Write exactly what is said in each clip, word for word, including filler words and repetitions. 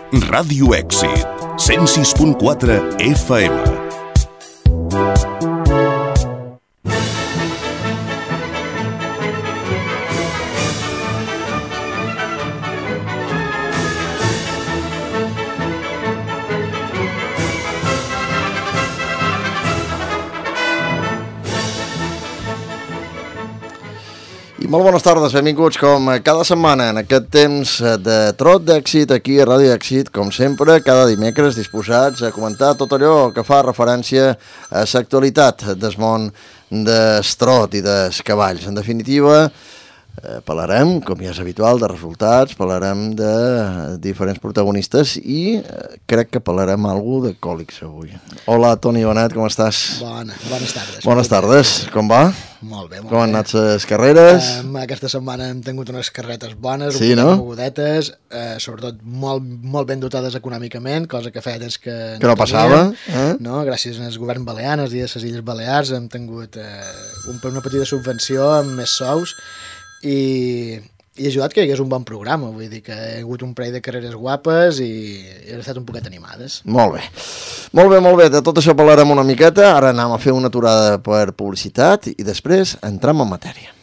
Ràdio Èxit, cent sis punt quatre F M. Molt bones tardes, benvinguts com cada setmana en aquest temps de trot d'èxit aquí a Ràdio Èxit, com sempre, cada dimecres disposats a comentar tot allò que fa referència a l'actualitat del món del trot i dels cavalls. En definitiva, eh, parlarem, com ja és habitual, de resultats, parlarem de diferents protagonistes i eh, crec que parlarem alguna de còlics avui. Hola, Toni Bonet, com estàs? Bona, bones tardes. Bones tardes, com va? Molt bé, molt Com bé. han anat les carreres? Um, aquesta setmana hem tingut unes carretes bones, Sí, un no? mogudetes, uh, sobretot molt, molt ben dotades econòmicament, cosa que feia temps que, Que no passava, eh? No? Gràcies al govern balear, als dies de les Illes Balears, hem tingut uh, un, una petita subvenció amb més sous i, i ha ajudat que hi hagués un bon programa, vull dir que hi ha hagut un parell de carreres guapes i, i han estat un poquet animades. Molt bé. Molt bé, molt bé. De tot això parlarem una miqueta. Ara anem a fer una aturada per publicitat i després entrem en matèria.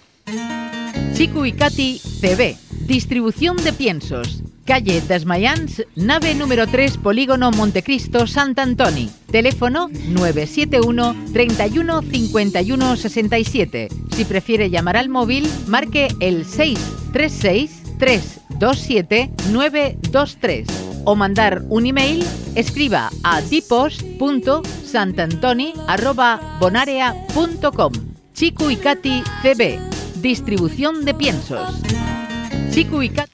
Chico y Katy C B, distribución de piensos. Calle Desmayans, nave número tres, Polígono Montecristo, Sant Antoni. Teléfono nueve siete uno, treinta y uno, cincuenta y uno, sesenta y siete. Si prefiere llamar al móvil, marque el seis tres seis, tres dos siete, nueve dos tres. O mandar un email, escriba a dipos punto santantoni arroba bonarea punto com. Chico y Katy C B, distribución de piensos. Chico y Katy.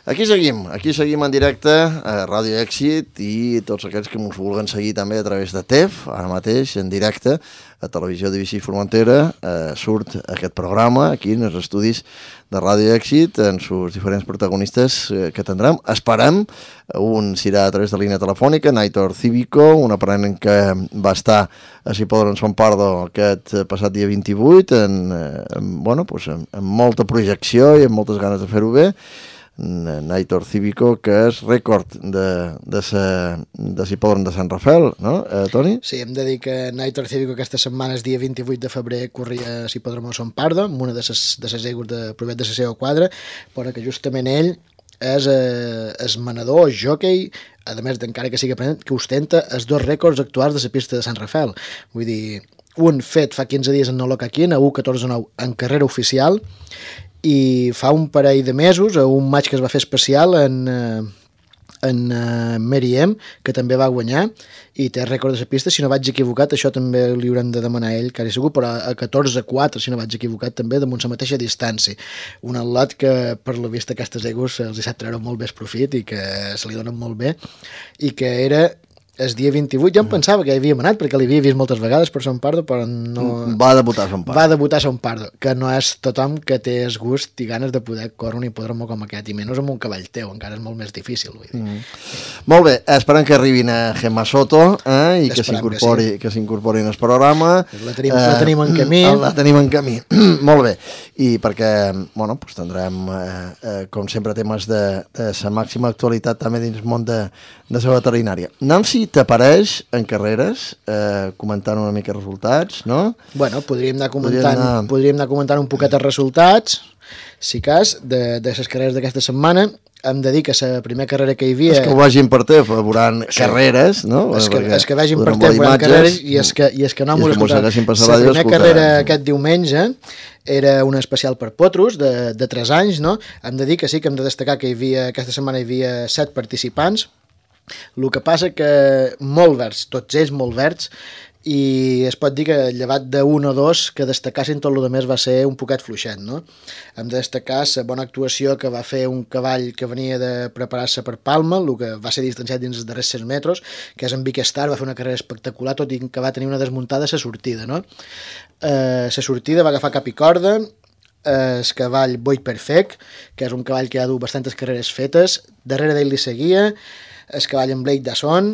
Aquí seguim, aquí seguim en directe a Ràdio Èxit i tots aquells que ens vulguen seguir també a través de T E F, ara mateix en directe a Televisió de Vichy Formentera, eh, surt aquest programa aquí en els estudis de Ràdio Èxit en els diferents protagonistes eh, que tindrem. Esperem, un serà a través de línia telefònica, Naitor Cívico, un aprenent que va estar a Cipodre en Son Pardo aquest passat dia vint-i-vuit, en, en, bueno, pues, en, en molta projecció i amb moltes ganes de fer-ho bé. Naitor Cívico, que és rècord de, de, sa, de Cipodron de Sant Rafael, no, eh, Toni? Sí, hem de dir que Naitor Cívico aquesta setmana, el dia vint-i-vuit de febrer, corria a Cipodrome de Son Pardo, amb una de les de ses egos de provet de la seva quadra, però que justament ell és eh, el manador, el jockey, a més d'encara que sigui aprenent, que ostenta els dos rècords actuals de la pista de Sant Rafael. Vull dir, un fet fa quinze dies en Nolocaquín, a u catorze nou en carrera oficial, i fa un parell de mesos a un match que es va fer especial en, en uh, Mary M, que també va guanyar i té rècord de la pista, si no vaig equivocat, això també li haurem de demanar a ell, quasi segur, però a catorze quatre, si no vaig equivocat, també damunt la mateixa distància. Un atlot que, per la vista, aquestes egos els hi sap treure molt més profit i que se li donen molt bé, i que era el dia vint-i-vuit, jo em pensava que hi havíem anat perquè l'havia vist moltes vegades per Son Pardo, però no... Va debutar a Son Pardo. Va debutar a Son Pardo, que no és tothom que té el gust i ganes de poder córrer un hipòdromo com aquest, i menys amb un cavall teu, encara és molt més difícil, vull dir. Mm. Molt bé, esperem que arribin a Gemma Soto eh, i que s'incorpori sí. que s'incorporin al programa. La tenim, eh, la tenim en camí. La tenim en camí, molt bé. I perquè, bueno, pues tindrem, eh, eh, com sempre, temes de, de la màxima actualitat també dins el món de, de la veterinària. Nancy, t'apareix en carreres, eh, comentant una mica resultats, no? Bueno, podríem anar comentant, podríem anar... podríem anar comentant un poquet els resultats, si cas, de, de les carreres d'aquesta setmana. Hem de dir que la primera carrera que hi havia... És que ho vagin per te, veuran sí. carreres, no? És que, és que vagin per te, veuran carreres, i és que, i és que no m'ho escoltat. La primera carrera aquest diumenge era un especial per potros de, de tres anys, no? Hem de dir que sí, que hem de destacar que hi havia, aquesta setmana hi havia set participants. El que passa que molt verds, tots ells molt verds, i es pot dir que llevat d'un o dos que destacassin, tot el més va ser un poquet fluixet, no? Hem de destacar la bona actuació que va fer un cavall que venia de preparar-se per Palma, el que va ser distanciat dins els darrers sis metres, que és en Vic Star, va fer una carrera espectacular, tot i que va tenir una desmuntada a la sortida, no? Eh, la sortida va agafar cap i corda, eh, el cavall Boy Perfect, que és un cavall que ha dut bastantes carreres fetes, darrere d'ell li seguia el cavall en Blake Dasson,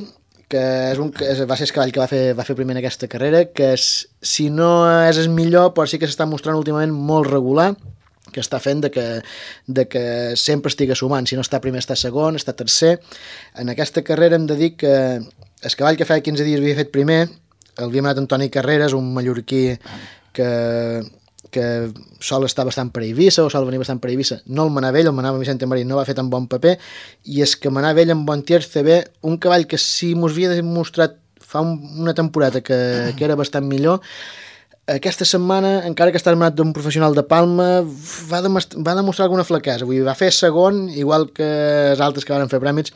que és un, que va ser el cavall que va fer, va fer primer en aquesta carrera, que és, si no és el millor, però sí que s'està mostrant últimament molt regular, que està fent de que, de que sempre estigui sumant. Si no està primer, està segon, està tercer. En aquesta carrera hem de dir que el cavall que feia quinze dies havia fet primer, l'havia manat Antoni Carreras, un mallorquí que, que sol estar bastant per Eivissa, o sol venir bastant per Eivissa. No el manava ell, el manava Vicente Marín, no va fer tan bon paper, i és que manava ell amb bon tiers C B, un cavall que si mos havia demostrat fa un, una temporada que, que era bastant millor, aquesta setmana, encara que està armat d'un professional de Palma, va, demostrar, va demostrar alguna flaquesa. Vull dir, va fer segon, igual que els altres que van fer prèmits,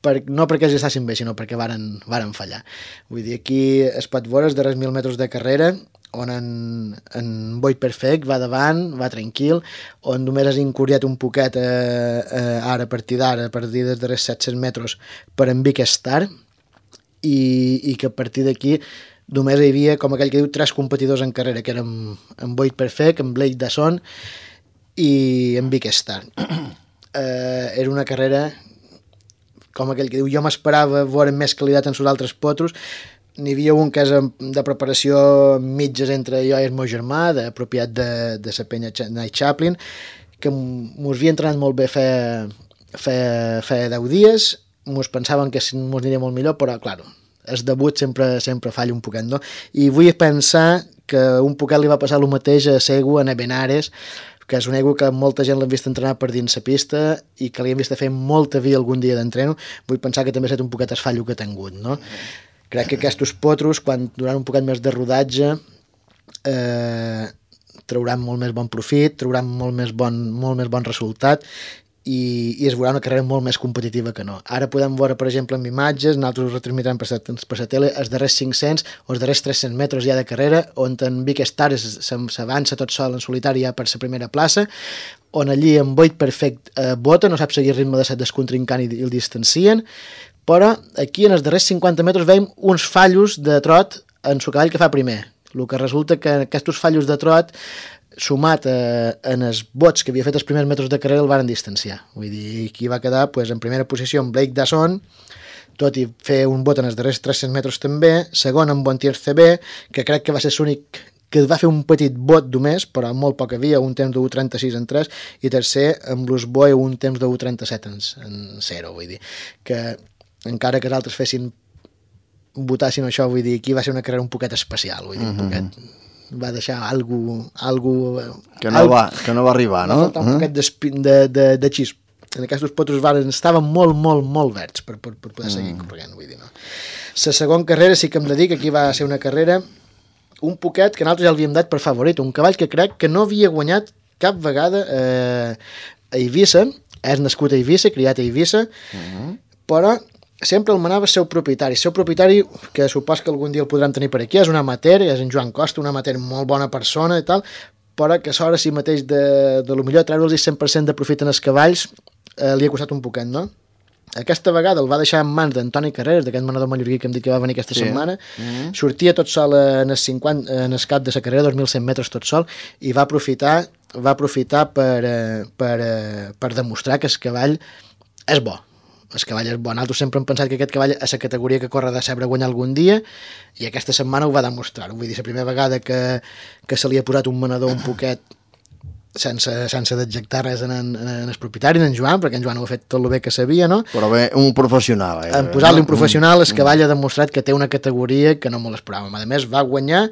per, no perquè els estessin bé, sinó perquè varen, varen fallar. Vull dir, aquí es pot veure els darrers mil metres de carrera, on en, en Boyd Perfect va davant, va tranquil, on només has incurriat un poquet eh, eh, ara, a partir d'ara, a partir dels darrers set-cents metres, per en Vic Star, i, i que a partir d'aquí només hi havia, com aquell que diu, tres competidors en carrera, que eren en Boyd Perfect, en Blake Dasson i en Vic Star. Eh, era una carrera, com aquell que diu, jo m'esperava veure més qualitat en els altres potros. N'hi havia un que és de preparació mitges entre jo i el meu germà, de propietat de, de la penya Night Chaplin, que mos havia entrenat molt bé fa, fa, fa deu dies, mos pensaven que mos aniria molt millor, però, clar, el debut sempre, sempre falla un poquet, no? I vull pensar que un poquet li va passar el mateix a Segu, a Benares, que és un ego que molta gent l'han vist entrenar per dins la pista i que li han vist fer molta via algun dia d'entreno. Vull pensar que també ha estat un poquet el fallo que ha tingut, no? Crec que aquests potros, quan durant un poquet més de rodatge, eh, trauran molt més bon profit, trauran molt més bon, molt més bon resultat, i, i es veurà una carrera molt més competitiva que no. Ara podem veure, per exemple, amb imatges, nosaltres ho retransmitrem per, per la tele, els darrers cinc-cents o els darrers tres-cents metres ja de carrera, on en Vic Star s'avança tot sol en solitari ja per la primera plaça, on allí en Boyd Perfect eh, bota, no sap seguir el ritme de set descontrincant i, i el distancien, però aquí en els darrers cinquanta metres veiem uns fallos de trot en el cavall que fa primer. El que resulta que aquests fallos de trot, sumat eh, en els bots que havia fet els primers metres de carrera, el varen distanciar. Vull dir, aquí va quedar pues, en primera posició en Blake Dasson, tot i fer un bot en els darrers tres-cents metres també, segon en Bontier C B, que crec que va ser l'únic que va fer un petit bot només, però molt poc havia, un temps de u trenta-sis en tres, i tercer en Blues Boy un temps de u trenta-set en, en zero, vull dir, que encara que els altres fessin votassin això, vull dir, aquí va ser una carrera un poquet especial, vull dir, un poquet... Mm-hmm. Va deixar algú... algú que, no algú, va, que no va arribar, no? Va faltar un poquet de, de, de xis. En aquests potros varen, estaven molt, molt, molt verds per, per, per poder seguir mm. corregant, vull dir, no? La segona carrera sí que em dedico, aquí va ser una carrera un poquet que nosaltres ja l'havíem dat per favorit, un cavall que crec que no havia guanyat cap vegada eh, a Eivissa, és nascut a Eivissa, criat a Eivissa, mm. però sempre el manava el seu propietari. El seu propietari, que supos que algun dia el podrem tenir per aquí, és un amateur, és en Joan Costa, un amateur molt bona persona i tal, però que a l'hora si mateix de, de lo millor treure'ls el cent per cent de profit en els cavalls eh, li ha costat un poquet, no? Aquesta vegada el va deixar en mans d'Antoni Carreras, d'aquest manador mallorquí que hem dit que va venir aquesta sí. setmana, mm-hmm. sortia tot sol en el, cinquanta, en el cap de la carrera, dos mil cent metres tot sol, i va aprofitar, va aprofitar per, per, per demostrar que el cavall és bo. El cavall és bo. Nosaltres sempre hem pensat que aquest cavall és la categoria que corre de saber guanyar algun dia, i aquesta setmana ho va demostrar. Vull dir, la primera vegada que, que se li ha posat un manador un poquet sense, sense d'adjectar res en, en, en el propietari, en Joan, perquè en Joan ho ha fet tot el bé que sabia, no? Però bé, un professional. Eh? En posar-li un professional, el cavall ha demostrat que té una categoria que no me l'esperàvem. A més, va guanyar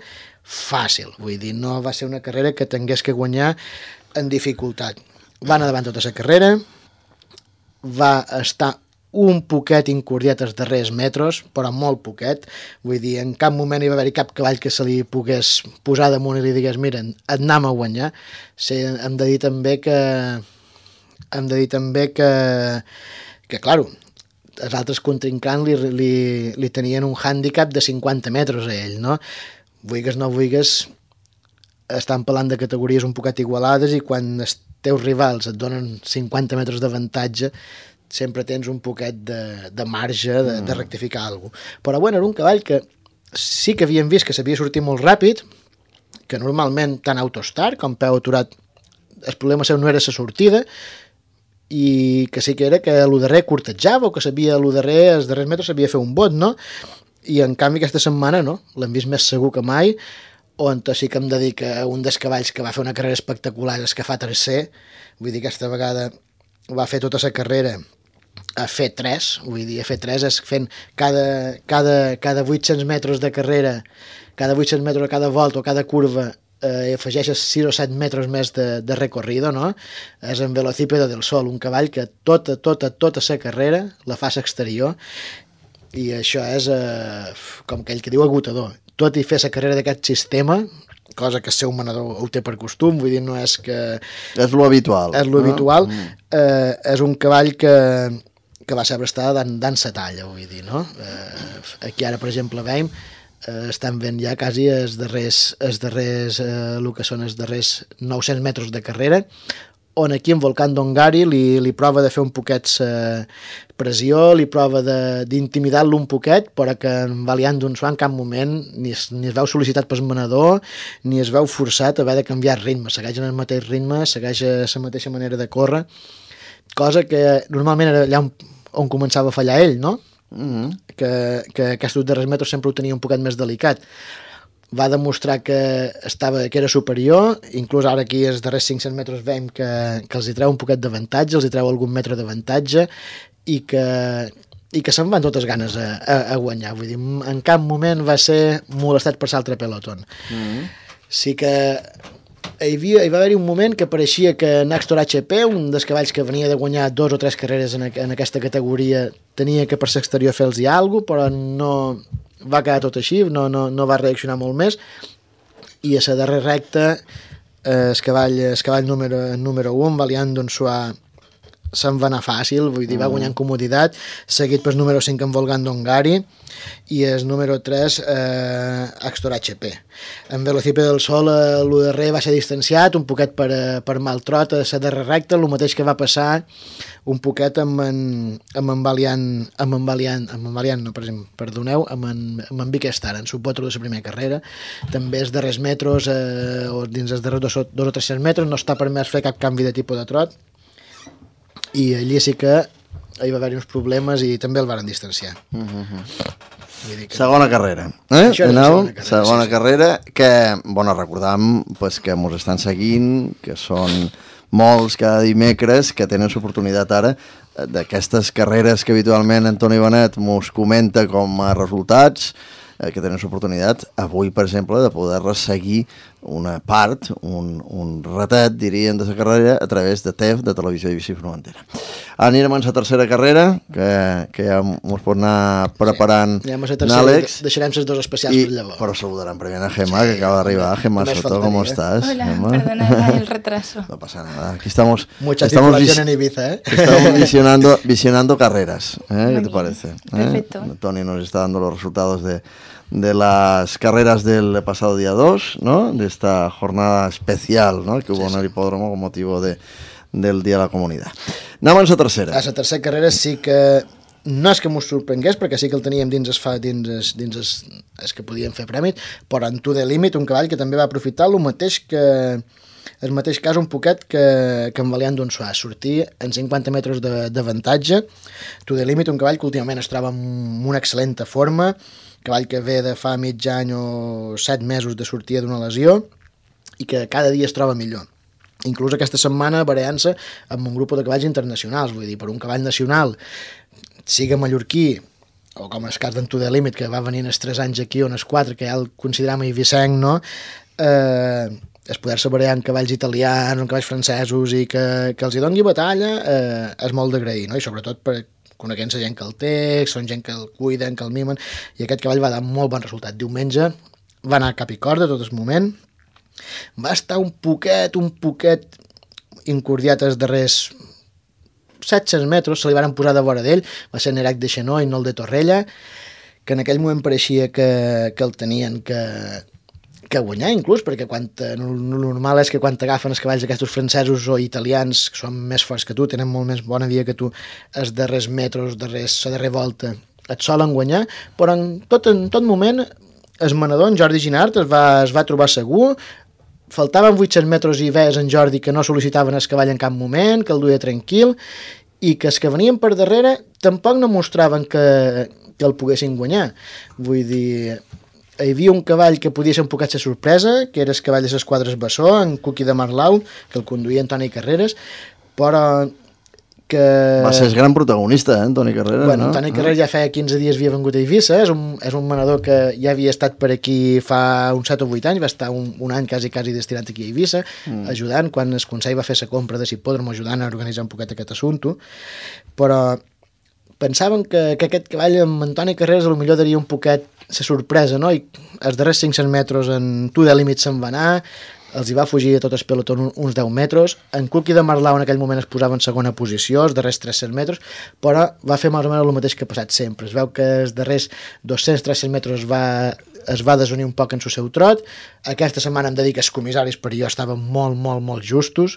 fàcil. Vull dir, no va ser una carrera que tingués que guanyar en dificultat. Va anar davant tota la carrera, va estar un poquet incordiat els darrers metres, però molt poquet. Vull dir, en cap moment hi va haver-hi cap cavall que se li pogués posar damunt i li digués, mira, et anem a guanyar. Sí, hem de dir també que hem de dir també que que, clar, els altres contrincants li, li, li tenien un hàndicap de cinquanta metres a ell, no? Vulgues no vulgues, estan parlant de categories un poquet igualades, i quan els teus rivals et donen cinquanta metres d'avantatge, sempre tens un poquet de, de marge de, de rectificar alguna cosa. Però bueno, era un cavall que sí que havíem vist que sabia sortir molt ràpid, que normalment tant autostar com peu aturat, el problema seu no era la sortida, i que sí que era que l'u darrer curtejava, o que sabia l'u darrer, els darrers metres sabia fer un bot, no? I en canvi aquesta setmana no, l'hem vist més segur que mai, on sí que em dedica a un dels cavalls que va fer una carrera espectacular, és que fa tercer, vull dir, aquesta vegada va fer tota la carrera a fer tres, vull dir, a fer tres és fent cada, cada, cada vuit-cents metres de carrera, cada vuit-cents metres, cada volta o cada curva, eh, afegeixes sis o set metres més de, de recorrido, no? És en Velocípedo del Sol, un cavall que tota, tota, tota la carrera la fa a l'exterior, i això és, eh, com aquell que diu, agotador. Tot i fer la carrera d'aquest sistema, cosa que el seu manador ho té per costum, vull dir, no és que... És lo habitual. És lo no? habitual. Mm. Eh, és un cavall que, que va saber estar dan sa talla, vull dir, no? Eh, aquí ara, per exemple, veiem, eh, estan fent ja quasi els darrers, els darrers eh, el que són els darrers nou-cents metres de carrera, on aquí en Volcán d'Ongari li, li prova de fer un poquet eh, pressió, li prova d'intimidar-lo un poquet, però que en Valiant d'Unsuà en cap moment ni es, ni es veu sol·licitat pel manador, ni es veu forçat a haver de canviar ritme, segueix en el mateix ritme, segueix la mateixa manera de córrer, cosa que normalment era allà on, on començava a fallar ell, no? Mm-hmm. que, que aquests darrers metres sempre ho tenia un poquet més delicat. Va demostrar que estava que era superior, inclús ara aquí els darrers cinc-cents metres veiem que, que els hi treu un poquet d'avantatge, els hi treu algun metre d'avantatge, i que, i que se'n van totes ganes a, a, a guanyar. Vull dir, en cap moment va ser molestat per l'altre pelotón. Mm-hmm. Sí que hi, havia, hi va haver-hi un moment que pareixia que Naxtor H P, un dels cavalls que venia de guanyar dos o tres carreres en, en aquesta categoria, tenia que per l'exterior fer-los alguna cosa, però no... va quedar tot així, no, no, no va reaccionar molt més, i a la darrera recta eh, el cavall, el cavall número, número un, Valiant d'Unsuà, se'n va anar fàcil, vull dir, va guanyar en comoditat, seguit pel número cinc en Volcán d'Ongari, i el número tres eh, Axtor H P. En Velocípedo del Sol eh, el darrer va ser distanciat un poquet per, per mal trot a la darrera recta, el mateix que va passar un poquet amb en, amb en Valiant, amb en Valiant, amb en Valiant, no, per exemple, perdoneu, amb en, amb en Bikestar, en subpotro de la primera carrera. També els darrers metres, eh, o dins els darrers dos, dos o tres metres, no està permès fer cap canvi de tipus de trot, i allí sí que hi va haver uns problemes i també el varen distanciar. Mm-hmm. Vull dir que... Segona carrera. Eh? Això era la segona carrera, segona sí, sí. carrera que, bueno, recordam pues, que ens estan seguint, que són molts cada dimecres que tenen l'oportunitat ara d'aquestes carreres que habitualment Antoni Benet mos comenta com a resultats, eh, que tenen l'oportunitat avui, per exemple, de poder seguir una part, un, un ratet, diríem, de la carrera a través de T E F, de Televisió de Bici Formentera. Anirem a la tercera carrera, que, que ja ens pot anar preparant sí. Anem a la tercera, Àlex. Deixarem les dos especials I, per llavors. Però saludarem primer a Gemma, que acaba d'arribar. Gemma Soto, ¿cómo estás? Hola, Gemma? perdona el retraso. No pasa nada. Aquí estamos, Mucha estamos, circulación en Ibiza, ¿eh? estamos visionando, visionando carreras. ¿eh? ¿Qué te parece? ¿eh? Perfecto. Tony nos está dando los resultados de, de las carreras del pasado día dos, ¿no? De esta jornada especial, ¿no? Que hubo sí, en el hipódromo con motivo de, del Día de la Comunidad. Anem a la tercera. A la tercera carrera sí que no és que m'ho sorprengués, perquè sí que el teníem dins es fa, dins es, dins es, es que podíem fer prèmit, però en To The Limit, un cavall que també va aprofitar el mateix que el mateix cas un poquet que, que en Valiant d'Unsuà, sortir en cinquanta metres d'avantatge. To The Limit, un cavall que últimament es troba en una excel·lent forma, cavall que ve de fa mig any o set mesos de sortida d'una lesió i que cada dia es troba millor. Inclús aquesta setmana barallant-se amb un grup de cavalls internacionals, vull dir, per un cavall nacional, siga mallorquí, o com el cas d'en To The Limit, que va venir els tres anys aquí, on els quatre, que ja el consideram eivissenc, no? Eh, es poder-se barallar amb cavalls italians, amb cavalls francesos, i que, que els hi doni batalla, eh, és molt d'agrair, no? I sobretot per coneixent la gent que el té, són gent que el cuiden, que el mimen, i aquest cavall va dar molt bon resultat. Diumenge va anar cap i corda tot el moment, va estar un poquet, un poquet incordiat els darrers set-cents metres, se li van posar de vora d'ell, va ser Nerac de Xenó i no el de Torrella, que en aquell moment pareixia que, que el tenien que, que guanyar, inclús, perquè quan, el normal és que quan t'agafen els cavalls aquests francesos o italians, que són més forts que tu, tenen molt més bona via que tu, els darrers metres, darrers, la darrera volta, et solen guanyar, però en tot, en tot moment el manador, en Jordi Ginart, es va, es va trobar segur, faltaven vuit-cents metres i ves en Jordi que no sol·licitaven el cavall en cap moment, que el duia tranquil, i que els que venien per darrere tampoc no mostraven que, que el poguessin guanyar. Vull dir, hi havia un cavall que podia ser un poquet de sorpresa, que era el cavall de les quadres Bessó, en Cuqui de Marlau, que el conduïa Antoni Carreras, però que... Va ser el gran protagonista, eh, Antoni Carreras, bueno, no? Antoni Carreras ja feia quinze dies havia vengut a Eivissa, és un, és un manador que ja havia estat per aquí fa uns set o vuit anys, va estar un, un any quasi, quasi destinat aquí a Eivissa, mm. ajudant, quan el Consell va fer la compra de Hipòdrom, ajudant a organitzar un poquet aquest assumpte, però pensaven que, que aquest cavall amb Antoni Carreras potser daria un poquet la sorpresa, no? I els darrers cinc-cents metres en tu de límit se'n va anar, els hi va fugir a tot el pelotó uns deu metres, en Cuqui de Marlau en aquell moment es posava en segona posició, els darrers tres-cents metres, però va fer més o menys el mateix que ha passat sempre. Es veu que els darrers dos-cents tres-cents metres es va, es va desunir un poc en el seu trot. Aquesta setmana em dedica els comissaris, però jo estaven molt, molt, molt justos,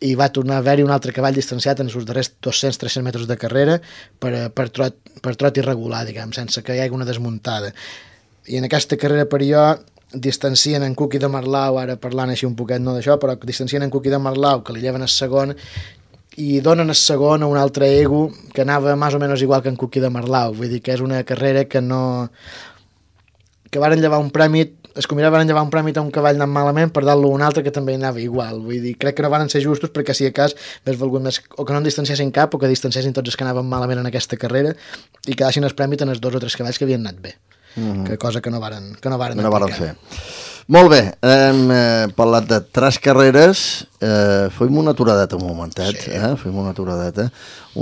i va tornar a haver-hi un altre cavall distanciat en els darrers dos-cents tres-cents metres de carrera per, per, trot, per trot irregular, diguem, sense que hi hagi una desmuntada. I en aquesta carrera per jo distancien en Cuqui de Marlau, ara parlant així un poquet no d'això, però distancien en Cuqui de Marlau, que li lleven el segon, i donen el segon a un altre ego que anava més o menys igual que en Cuqui de Marlau. Vull dir que és una carrera que no... que varen llevar un premi, es combinava varen llevar un premi a un cavall anant malament per dar-lo a un altre que també anava igual. Vull dir, crec que no varen ser justos perquè si a cas més valgut més o que no en distanciessin cap o que distanciessin tots els que anaven malament en aquesta carrera i que deixin el premi en els dos o tres cavalls que havien anat bé. Mm-hmm. Que cosa que no varen, que no varen, no varen fer. Molt bé, hem eh, parlat de tres carreres, eh, fem una aturadeta un momentet, sí. eh? fem una aturadeta,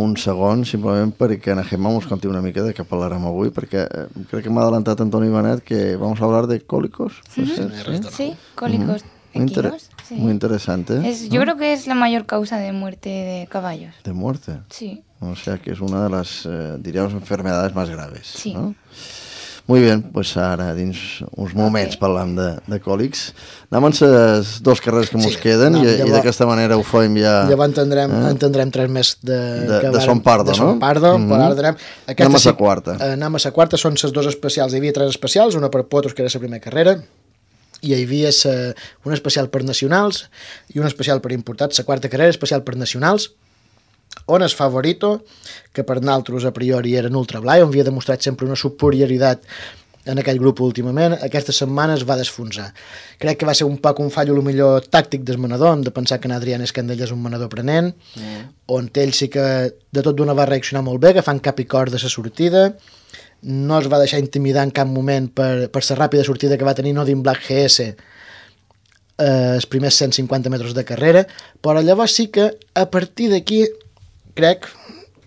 un segon, simplement perquè en Gemma ens conti una mica de què parlarem avui, perquè eh, crec que m'ha adelantat Antoni Benet que vamos a hablar de cólicos. Sí, sí, sí cólicos mm-hmm. equinos. Sí. Muy interesante. Es, yo ¿no? creo que es la mayor causa de muerte de caballos. ¿De muerte? Sí. O sea que es una de las, eh, diríamos, enfermedades más graves. Sí. ¿no? Muy bien, pues ara dins uns moments okay. parlant de, de còlics. Anem amb les dues carreres que ens sí, queden no, i, llavors, i d'aquesta manera ho fem ja... Llavors entendrem, eh? entendrem tres més de... De, de Son Pardo, de no? Son Pardo, mm-hmm. però ara anem... Anem a la quarta. Anem a la quarta, són les dues especials. Hi havia tres especials, una per Potros, que era la primera carrera, i hi havia sa, una especial per nacionals i una especial per importats. La quarta carrera especial per nacionals, on és Favorito, que per nosaltres a priori era en Ultra Blai, on havia demostrat sempre una superioritat en aquell grup últimament, aquesta setmana es va desfonsar. Crec que va ser un poc un fallo el millor tàctic del manador, hem de pensar que en Adrián Escandell és un manador aprenent, mm. on ell sí que de tot d'una va reaccionar molt bé, agafant cap i cor de la sortida, no es va deixar intimidar en cap moment per, per la ràpida sortida que va tenir Nodin Black G S eh, els primers cent cinquanta metres de carrera, però llavors sí que a partir d'aquí crec,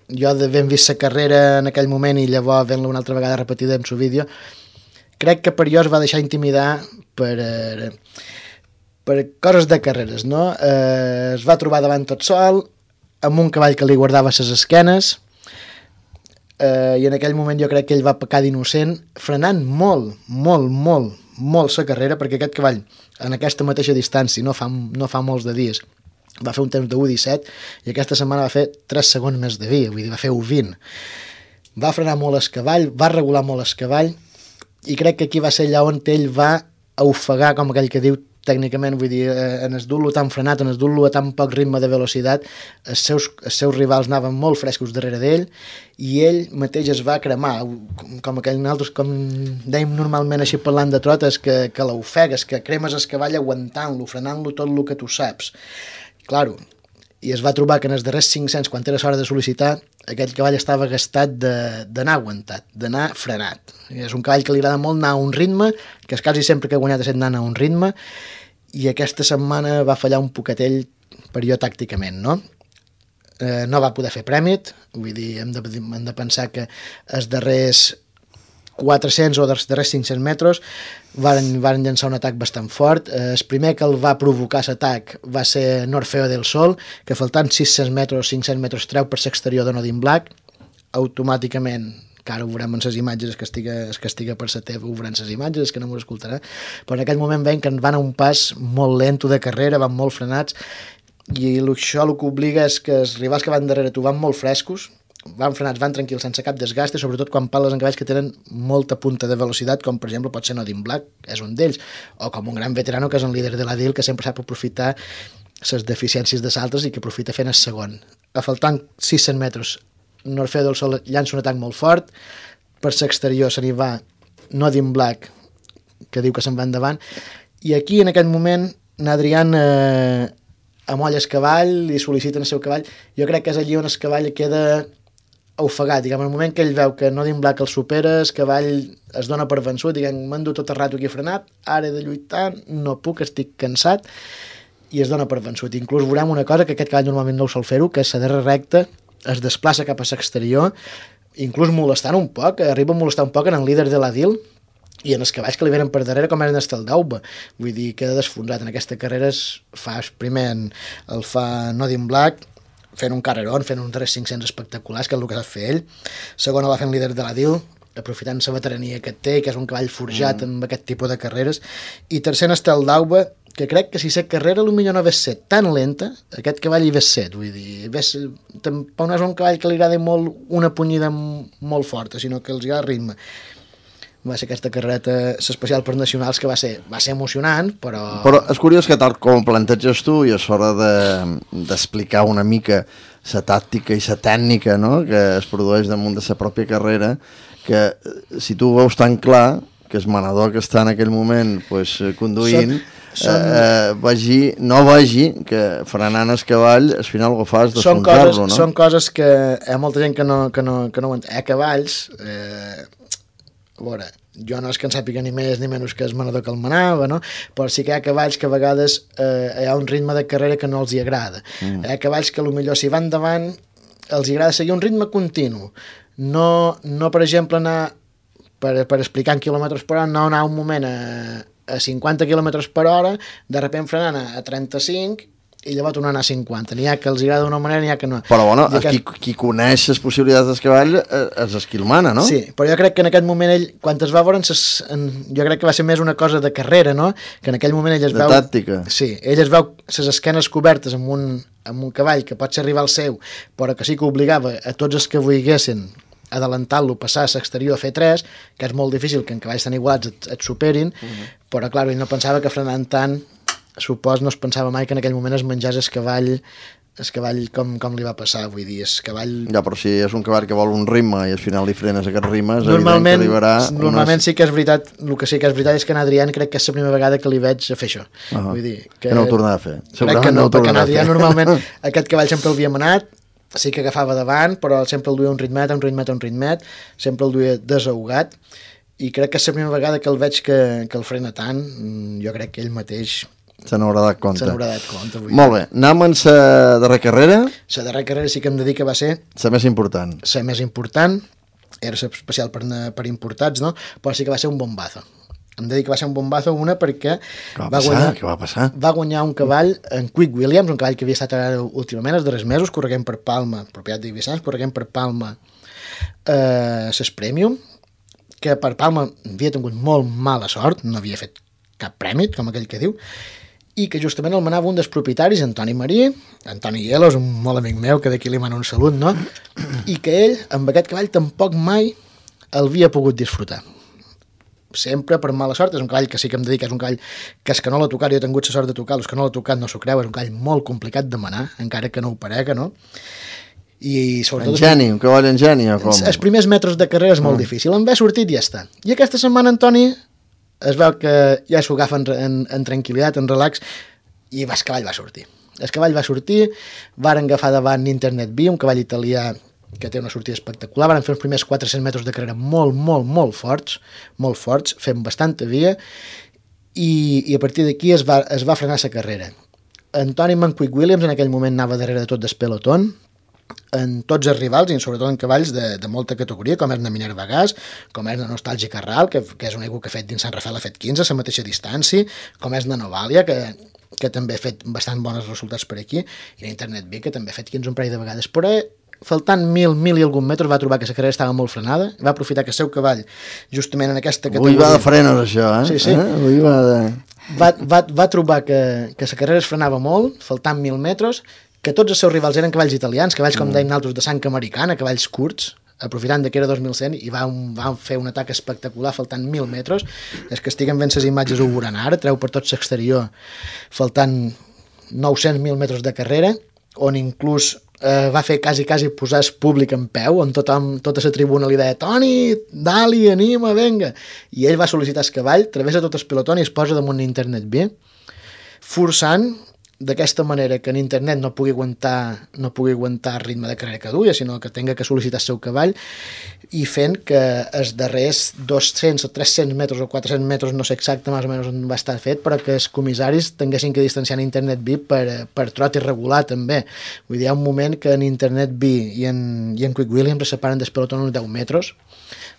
jo d'haver vist la carrera en aquell moment i llavors fent-la una altra vegada repetida en el vídeo, crec que per jo es va deixar intimidar per, eh, per coses de carreres, no? Eh, es va trobar davant tot sol, amb un cavall que li guardava les esquenes, eh, i en aquell moment jo crec que ell va pecar d'innocent, frenant molt, molt, molt, molt la carrera, perquè aquest cavall, en aquesta mateixa distància, no fa, no fa molts de dies, va fer un temps de u disset i aquesta setmana va fer tres segons més de via, vull dir, va fer u vint. Va frenar molt el cavall, va regular molt el cavall i crec que aquí va ser allà on ell va ofegar, com aquell que diu tècnicament, vull dir, en es dur-lo tan frenat, en es dur-lo a tan poc ritme de velocitat, els seus, els seus rivals anaven molt frescos darrere d'ell i ell mateix es va cremar, com aquell nosaltres, com dèiem normalment així parlant de trotes, que, que l'ofegues, que cremes el cavall aguantant-lo, frenant-lo tot el que tu saps. Claro, i es va trobar que en els darrers cinc-cents, quan era l'hora de sol·licitar, aquell cavall estava gastat d'anar aguantat, d'anar frenat. És un cavall que li agrada molt anar a un ritme, que quasi sempre que ha guanyat ha estat anant a un ritme, i aquesta setmana va fallar un poquetell per jo tàcticament, no? Eh, no va poder fer prèmit, vull dir, hem de, hem de pensar que els darrers quatre-cents o dels darrers cinc-cents metres varen, varen llançar un atac bastant fort. Eh, el primer que el va provocar l'atac va ser Norfeo del Sol, que faltant sis-cents metres o cinc-cents metres treu per l'exterior de Nodin Black, automàticament, que ara ho veurem en les imatges, es que estiga, es que estiga per la teva, ho veurem les imatges, que no m'ho escoltarà, però en aquell moment veiem que van a un pas molt lento de carrera, van molt frenats, i això el que obliga és que els rivals que van darrere tu van molt frescos, van frenats, van tranquils, sense cap desgast, i sobretot quan parles en cavalls que tenen molta punta de velocitat, com per exemple pot ser Nodin Black, és un d'ells, o com un gran veterano que és un líder de la D I L, que sempre sap aprofitar les deficiències de saltes i que aprofita fent el segon. A faltant sis-cents metres, Norfeo del Sol llança un atac molt fort, per l'exterior se n'hi va Nodin Black que diu que se'n va endavant, i aquí en aquest moment n'Adrián eh, amolla el cavall i sol·licita el seu cavall. Jo crec que és allí on el cavall queda ofegat, diguem, en el moment que ell veu que Nodin Black el supera, el cavall es dona per vençut, diguem, m'han dut tot el rato aquí frenat, ara he de lluitar, no puc, estic cansat, i es dona per vençut. Inclús veurem una cosa que aquest cavall normalment no ho sol fer-ho, que és la darrere recta, es desplaça cap a l'exterior, inclús molestant un poc, arriba a molestar un poc en el líder de l'Adil, i en els cavalls que li venen per darrere com eren el d'Auba, vull dir, queda desfonsat. En aquesta carrera es fa, primer el fa Nodin Black, fent un carrerón, fent un tres cinc-cents espectaculars, que és el que sap fer ell. Segona va fent líder de l'Adil, aprofitant la veterania que té, que és un cavall forjat mm. amb aquest tipus de carreres. I tercer està el d'Auba, que crec que si la carrera potser no hagués set tan lenta, aquest cavall hi hagués set, vull dir, ves, tampoc no és un cavall que li agrada molt una punyida molt forta, sinó que els agrada ritme. Va ser aquesta carrereta especial per nacionals que va ser, va ser emocionant, però... Però és curiós que tal com planteges tu i és hora d'explicar de, una mica la tàctica i la tècnica, no?, que es produeix damunt de la pròpia carrera, que si tu veus tan clar que el manador que està en aquell moment pues, conduint... Són... Són... Eh, vagi, no vegi que frenant el cavall al final el que fa és desfonsar-lo, no? Són coses que hi ha molta gent que no, que no, que no ho entén. Hi ha cavalls, eh, a veure, jo no és que en sàpiga ni més ni menys que el manador que el manava, no? Però sí que hi ha cavalls que a vegades eh, hi ha un ritme de carrera que no els hi agrada. Mm. Hi ha cavalls que potser si van davant els hi agrada seguir un ritme continu, no, no per exemple anar per, per explicar en quilòmetres per hora, no anar un moment a a cinquanta quilòmetres per hora, de sobte frenant a trenta-cinc i llavors tornant a cinquanta. N'hi ha que els agrada d'una manera, n'hi ha que no. Però bueno, que... qui, qui coneix les possibilitats del cavall és el qui el mana, no? Sí, però jo crec que en aquest moment ell, quan es va veure, ses, en, jo crec que va ser més una cosa de carrera, no? Que en aquell moment ell es de veu... De tàctica. Sí, ell es veu ses esquenes cobertes amb un, amb un cavall que pot ser rival seu, però que sí que obligava a tots els que volguessin adelantar-lo, passar a l'exterior a fer tres, que és molt difícil que en cavalls tan igualats et, et superin, uh -huh. però clar, ell no pensava que frenant tant, supos no es pensava mai que en aquell moment es menjàs el cavall, el cavall com, com li va passar, vull dir, el cavall... Ja, però si és un cavall que vol un ritme i al final li frenes aquest ritme, és evident que arribarà... Normalment unes... sí que és veritat, el que sí que és veritat és que en Adrián crec que és la primera vegada que li veig a fer això. Uh -huh. Vull dir, que... que no ho tornarà a fer. Crec que no, no perquè en Adrián normalment aquest cavall sempre l'havia manat, sí que agafava davant, però sempre el duia un ritmet, un ritmet, un ritmet, sempre el duia desahogat, i crec que és la primera vegada que el veig que, que el frena tant, jo crec que ell mateix se n'haurà dat compte. Se n'haurà dat compte. Molt bé, anem en la darrera carrera. La darrera carrera sí que em dedica va ser... La més important. La més important, era especial per, per importats, no? Però sí que va ser un bombazo. Em dedica va ser un bombazo una perquè Què va, va, passar? Guanyar, Què va passar? Va guanyar un cavall en Quick Williams, un cavall que havia estat ara últimament, els darrers mesos, correguent per Palma, propietat d'Ibissans, correguent per Palma eh, ses Premium, que per Palma havia tingut molt mala sort, no havia fet cap premi, com aquell que diu, i que justament el manava un dels propietaris, Antoni Marí, Antoni Hielos, un molt amic meu, que d'aquí li mana un salut, no? I que ell, amb aquest cavall, tampoc mai el havia pogut disfrutar. Sempre per mala sort, és un cavall que sí que em dedica, és un cavall que és que no l'ha tocat, jo he tingut la sort de tocar-lo, és que no l'ha tocat, no s'ho creu, és un cavall molt complicat de manar, encara que no ho parega, no? I sobretot... Engeni, un cavall engeni, o com? Els primers metres de carrera és molt mm. difícil, en ve sortit i ja està. I aquesta setmana, Antoni, es veu que ja s'ho agafa en, en, en tranquil·litat, en relax, i el cavall va sortir. El cavall va sortir, varen agafar davant Internet B, un cavall italià que té una sortida espectacular, van fer els primers quatre-cents metres de carrera molt, molt, molt forts, molt forts, fent bastanta via, i, i a partir d'aquí es va, es va frenar la carrera. Antoni Quick Williams en aquell moment anava darrere de tot del pelotón, en tots els rivals i sobretot en cavalls de, de molta categoria, com és la Minerva Gas, com és la Nostàlgica Ral, que, que és un ego que ha fet dins Sant Rafael, ha fet quinze, a la mateixa distància, com és la Novalia, que, que també ha fet bastant bons resultats per aquí, i l'Internet B, que també ha fet quinze un parell de vegades, però faltant mil, mil i algun metres va trobar que la carrera estava molt frenada, va aprofitar que el seu cavall, justament en aquesta categoria... Avui va de frenos, això, eh? Sí, sí. Eh? Avui va de... Va, va, va trobar que, que la carrera es frenava molt, faltant mil metres, que tots els seus rivals eren cavalls italians, cavalls com mm. deim nosaltres de sang americana, cavalls curts, aprofitant que era dos mil cent, i va, un, va fer un atac espectacular faltant mil metres. És que estiguen fent les imatges ho veuran ara, treu per tot l'exterior faltant nou-cents mil metres de carrera, on inclús eh, va fer quasi, quasi posar el públic en peu, on tothom, tota la tribuna li deia Toni, dali, anima, venga. I ell va sol·licitar el cavall, travessa tot el pelotó i es posa damunt Internet B, forçant d'aquesta manera que en internet no pugui aguantar no pugui aguantar el ritme de carrera que duia, sinó que tenga que sol·licitar el seu cavall, i fent que els darrers dos-cents o tres-cents metres o quatre-cents metres, no sé exacte més o menys on va estar fet, però que els comissaris tinguessin que distanciar en Internet B per, per trot irregular també. Vull dir, hi ha un moment que en Internet B i en, i en Quick Williams es separen del pelotó uns deu metres,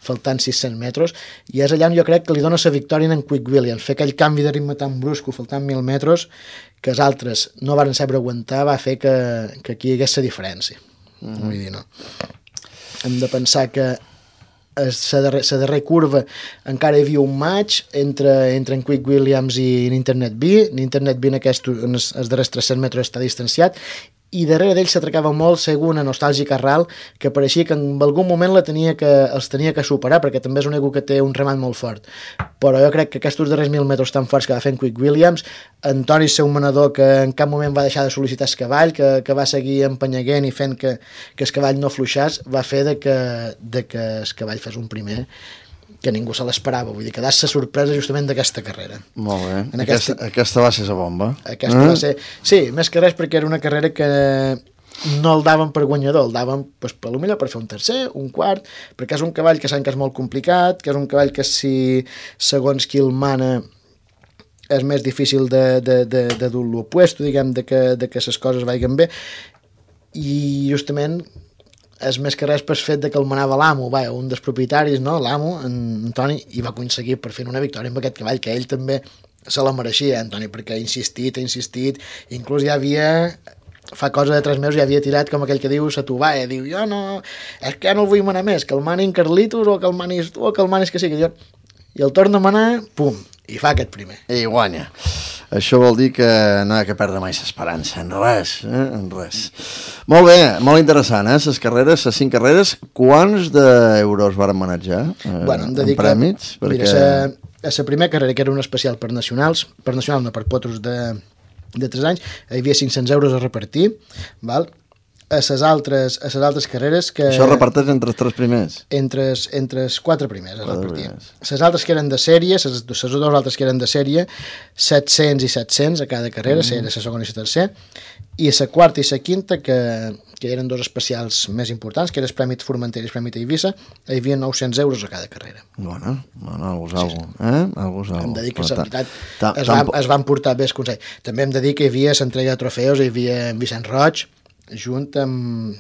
faltant sis-cents metres, i és allà on jo crec que li dona la victòria en Quick Williams. Fer aquell canvi de ritme tan brusco, faltant mil metres, que els altres no van saber aguantar, va fer que, que aquí hi hagués la diferència. Mm-hmm. Vull dir, no. Hem de pensar que la darrer, darrer curva encara hi havia un match entre, entre en Quick Williams i en Internet B. En Internet B en, aquest, en els, els darrers tres-cents metres està distanciat, i darrere d'ell s'atracava molt segona nostàlgica Ral, que pareixia que en algun moment la tenia que, els tenia que superar, perquè també és un ego que té un remat molt fort. Però jo crec que aquests darrers mil metres tan forts que va fer en Quick Williams, Antoni, seu manador, que en cap moment va deixar de sol·licitar el cavall, que, que va seguir empenyaguent i fent que, que el cavall no fluixàs, va fer de que, de que el cavall fes un primer que ningú se l'esperava, vull dir, que dàs la sorpresa justament d'aquesta carrera. Molt bé, en aquesta, aquesta, aquesta va ser la bomba. Aquesta eh? va ser, sí, més que res perquè era una carrera que no el daven per guanyador, el daven pues, per potser per fer un tercer, un quart, perquè és un cavall que saben que és molt complicat, que és un cavall que si segons qui el mana és més difícil de, de, de, de dur l'opuesto, diguem, de que, de que les coses vagin bé, i justament és més que res per fet de que el manava l'amo, un dels propietaris, no? L'amo, en Antoni, i va aconseguir per fer una victòria amb aquest cavall, que ell també se la mereixia, Antoni, perquè ha insistit, ha insistit, inclús ja havia, fa cosa de tres mesos, ja havia tirat com aquell que diu sa tovalla, diu, jo no, és que ja no el vull manar més, que el mani en Carlitos, o que el manis tu, o que el manis que sigui, jo... i el torna a manar, pum, i fa aquest primer. I guanya. Això vol dir que no hi ha que perdre mai l'esperança, en res, eh? en res. Molt bé, molt interessant, eh? Les carreres, les cinc carreres, quants d'euros varen manejar eh, bueno, en prèmits? Perquè... Mira, a la primera carrera, que era una especial per nacionals, per nacionals no, per potros de, de tres anys, hi havia cinc-cents euros a repartir, val? A les altres, a les altres carreres que... Això reparteix entre els tres primers? Entre, entre els quatre primers es repartia. Les altres que eren de sèrie, les dues altres que eren de sèrie, set-cents i set-cents a cada carrera, mm. era la segona i la tercera, i la quarta i la quinta, que, que eren dos especials més importants, que era el Premi Formentera i el Premi Eivissa, hi havia nou-cents euros a cada carrera. Bueno, bueno, algú és algú, eh? Algú és algú. Hem de dir que, la veritat, es, va, es van portar bé els consells. També hem de dir que hi havia l'entrega de trofeus, hi havia en Vicent Roig, junt amb...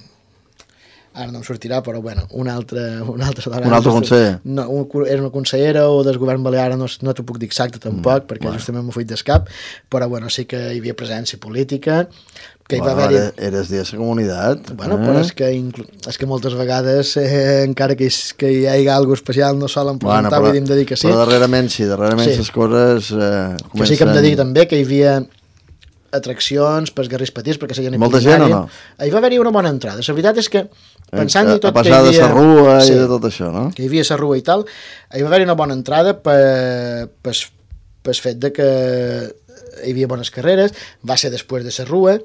ara no em sortirà, però bueno, un altre... Un altre, un altre conseller? No, un, era una consellera o del govern balear, no, no t'ho puc dir exacte tampoc, mm, perquè bueno. justament m'ho fuig d'escap, però bueno, sí que hi havia presència política, que hi bueno, va haver... Eres de la comunitat. Bueno, eh? però és que, inclu... és que moltes vegades, eh, encara que hi, que hi hagi alguna especial, no solen presentar, bueno, però, vull dir, hem de dir que sí. Però darrerament sí, darrerament les sí. coses eh, comencen... Que sí que hem de dir també que hi havia atraccions pels garris petits, perquè seien molta gent o no? Hi va haver-hi una bona entrada. La veritat és que, pensant-hi tot a que hi havia... A passar de la rua sí, i de tot això, no? Que hi havia la rua i tal, hi va haver-hi una bona entrada per, per, per fet de que hi havia bones carreres, va ser després de la rua,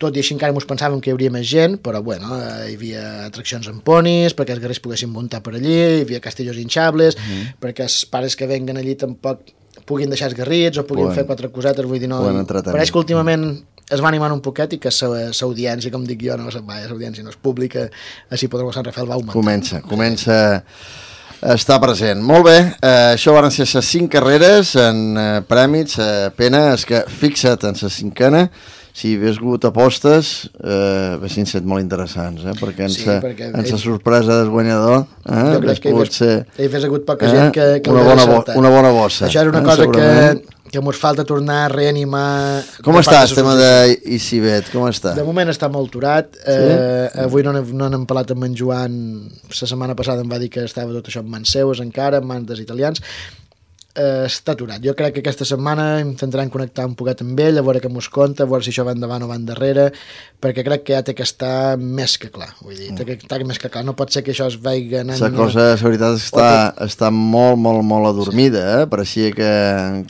tot i així encara ens pensàvem que hi hauria més gent, però bueno, hi havia atraccions amb ponis, perquè els garris poguessin muntar per allí, hi havia castellos hinchables, mm. perquè els pares que venguen allí tampoc puguin deixar els garrits o puguin bueno, fer quatre cosetes, vull dir, no... Pareix que últimament es va animant un poquet i que l'audiència, com dic jo, no l'audiència no és pública, així Podremo Sant Rafael va augmentar. Comença, comença a estar present. Molt bé, eh, això van ser les cinc carreres en eh, prèmits, eh, pena és que fixa't en la cinquena, si hi hagués hagut apostes, eh, haguessin set molt interessants, eh? perquè en sí, sa, perquè en sa sorpresa del guanyador eh, jo crec que hi hagués, ser, hi hagués hagut poca gent que, que una, bona bo, una bona bossa. Això és una eh, cosa que, que ens falta tornar a reanimar. Com està el tema d'Icibet? Com està? De moment està molt aturat. Sí? Eh, avui no, no n'hem parlat amb en Joan, la setmana passada em va dir que estava tot això en mans seues encara, en mans dels italians. Uh, està aturat. Jo crec que aquesta setmana intentarem connectar un poquet amb ell, a veure què mos conta, a veure si això va endavant o va endarrere, perquè crec que ja té que estar més que clar. Vull dir, té que estar més que clar. No pot ser que això es vagi anant... La cosa, la veritat, està, té... està molt, molt, molt adormida, eh? Pareixia que,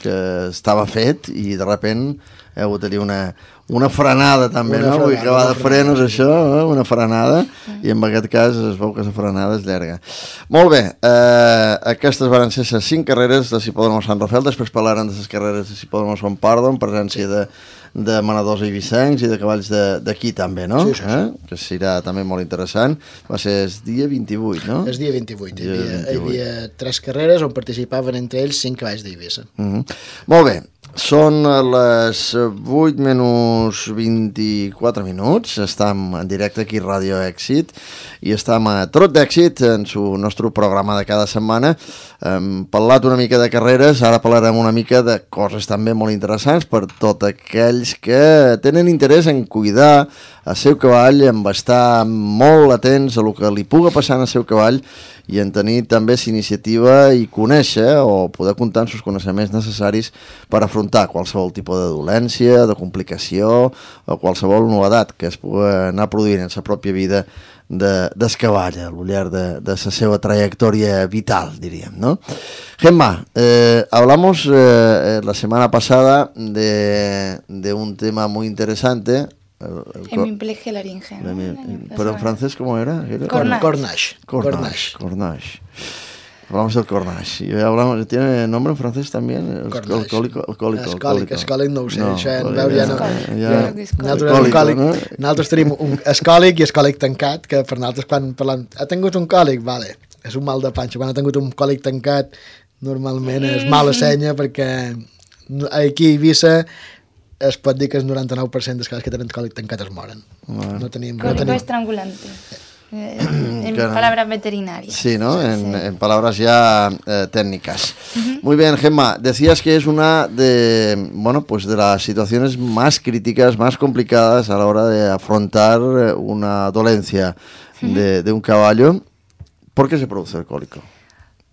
que estava fet i de repent Hi ha hagut allà una, una frenada també, una no? Frenada, Vull que va de frenos frenada. això, eh? Una frenada, i en aquest cas es veu que la frenada és llarga. Molt bé, eh, aquestes van ser les cinc carreres de Hipòdrom Sant Rafael, després parlarem de les carreres de Hipòdrom Sant Pardo, en presència de, de manadors eivissencs i de cavalls d'aquí també, no? Sí, sí, sí. Eh? Que serà també molt interessant. Va ser el dia vint-i-vuit, no? El dia vint-i-vuit. Hi Dia havia, hi vint-i-vuit. havia tres carreres on participaven entre ells cinc cavalls d'Eivissa. Mm -hmm. Molt bé, són les vuit menys vint-i-quatre minuts, estem en directe aquí a Ràdio Èxit i estem a Trot d'Èxit en el nostre programa de cada setmana. Hem parlat una mica de carreres, ara parlarem una mica de coses també molt interessants per tots aquells que tenen interès en cuidar el seu cavall, en estar molt atents a el que li puga passar al seu cavall i en tenir també l'iniciativa i conèixer o poder comptar amb els coneixements necessaris per afrontar qualsevol tipus de dolència, de complicació o qualsevol novedat que es pugui anar produint en la pròpia vida de, del cavall al llarg de, de la seva trayectoria vital, diríem, ¿no? Gemma, eh, hablamos eh, la semana pasada de, de un tema muy interesante. Hemiplegia laringe. ¿No? Mi, pero en francés, ¿cómo era? ¿Era? Cornage. Cornage. Cornage. Cornage. Hablamos del Cornage. Y hablamos, ¿tiene nombre en francés también? El, Cornage. el còlico. El còlico. Escòlic, escòlic no ho sé. No, Això en còlic, veure ja no... ja- Ja, ja- nosaltres, Còlico, un còlic, no? nosaltres tenim un escòlic i escòlic tancat, que per nosaltres quan parlem... Ha tingut un còlic? Vale. És un mal de panxa. Quan ha tingut un còlic tancat, normalment és mala senya, perquè aquí a Eivissa es pot dir que el noranta-nou per cent dels casos que tenen còlic tancat es moren. No tenim... No Cólico tenim... estrangulante. Eh, en Claro. palabras veterinarias. Sí, ¿no? En, Sí. en palabras ya eh, técnicas. Muy bien, Gemma. Decías que es una de, bueno, pues de las situaciones más críticas, más complicadas a la hora de afrontar eh, una dolencia de, de un caballo. ¿Por qué se produce el cólico?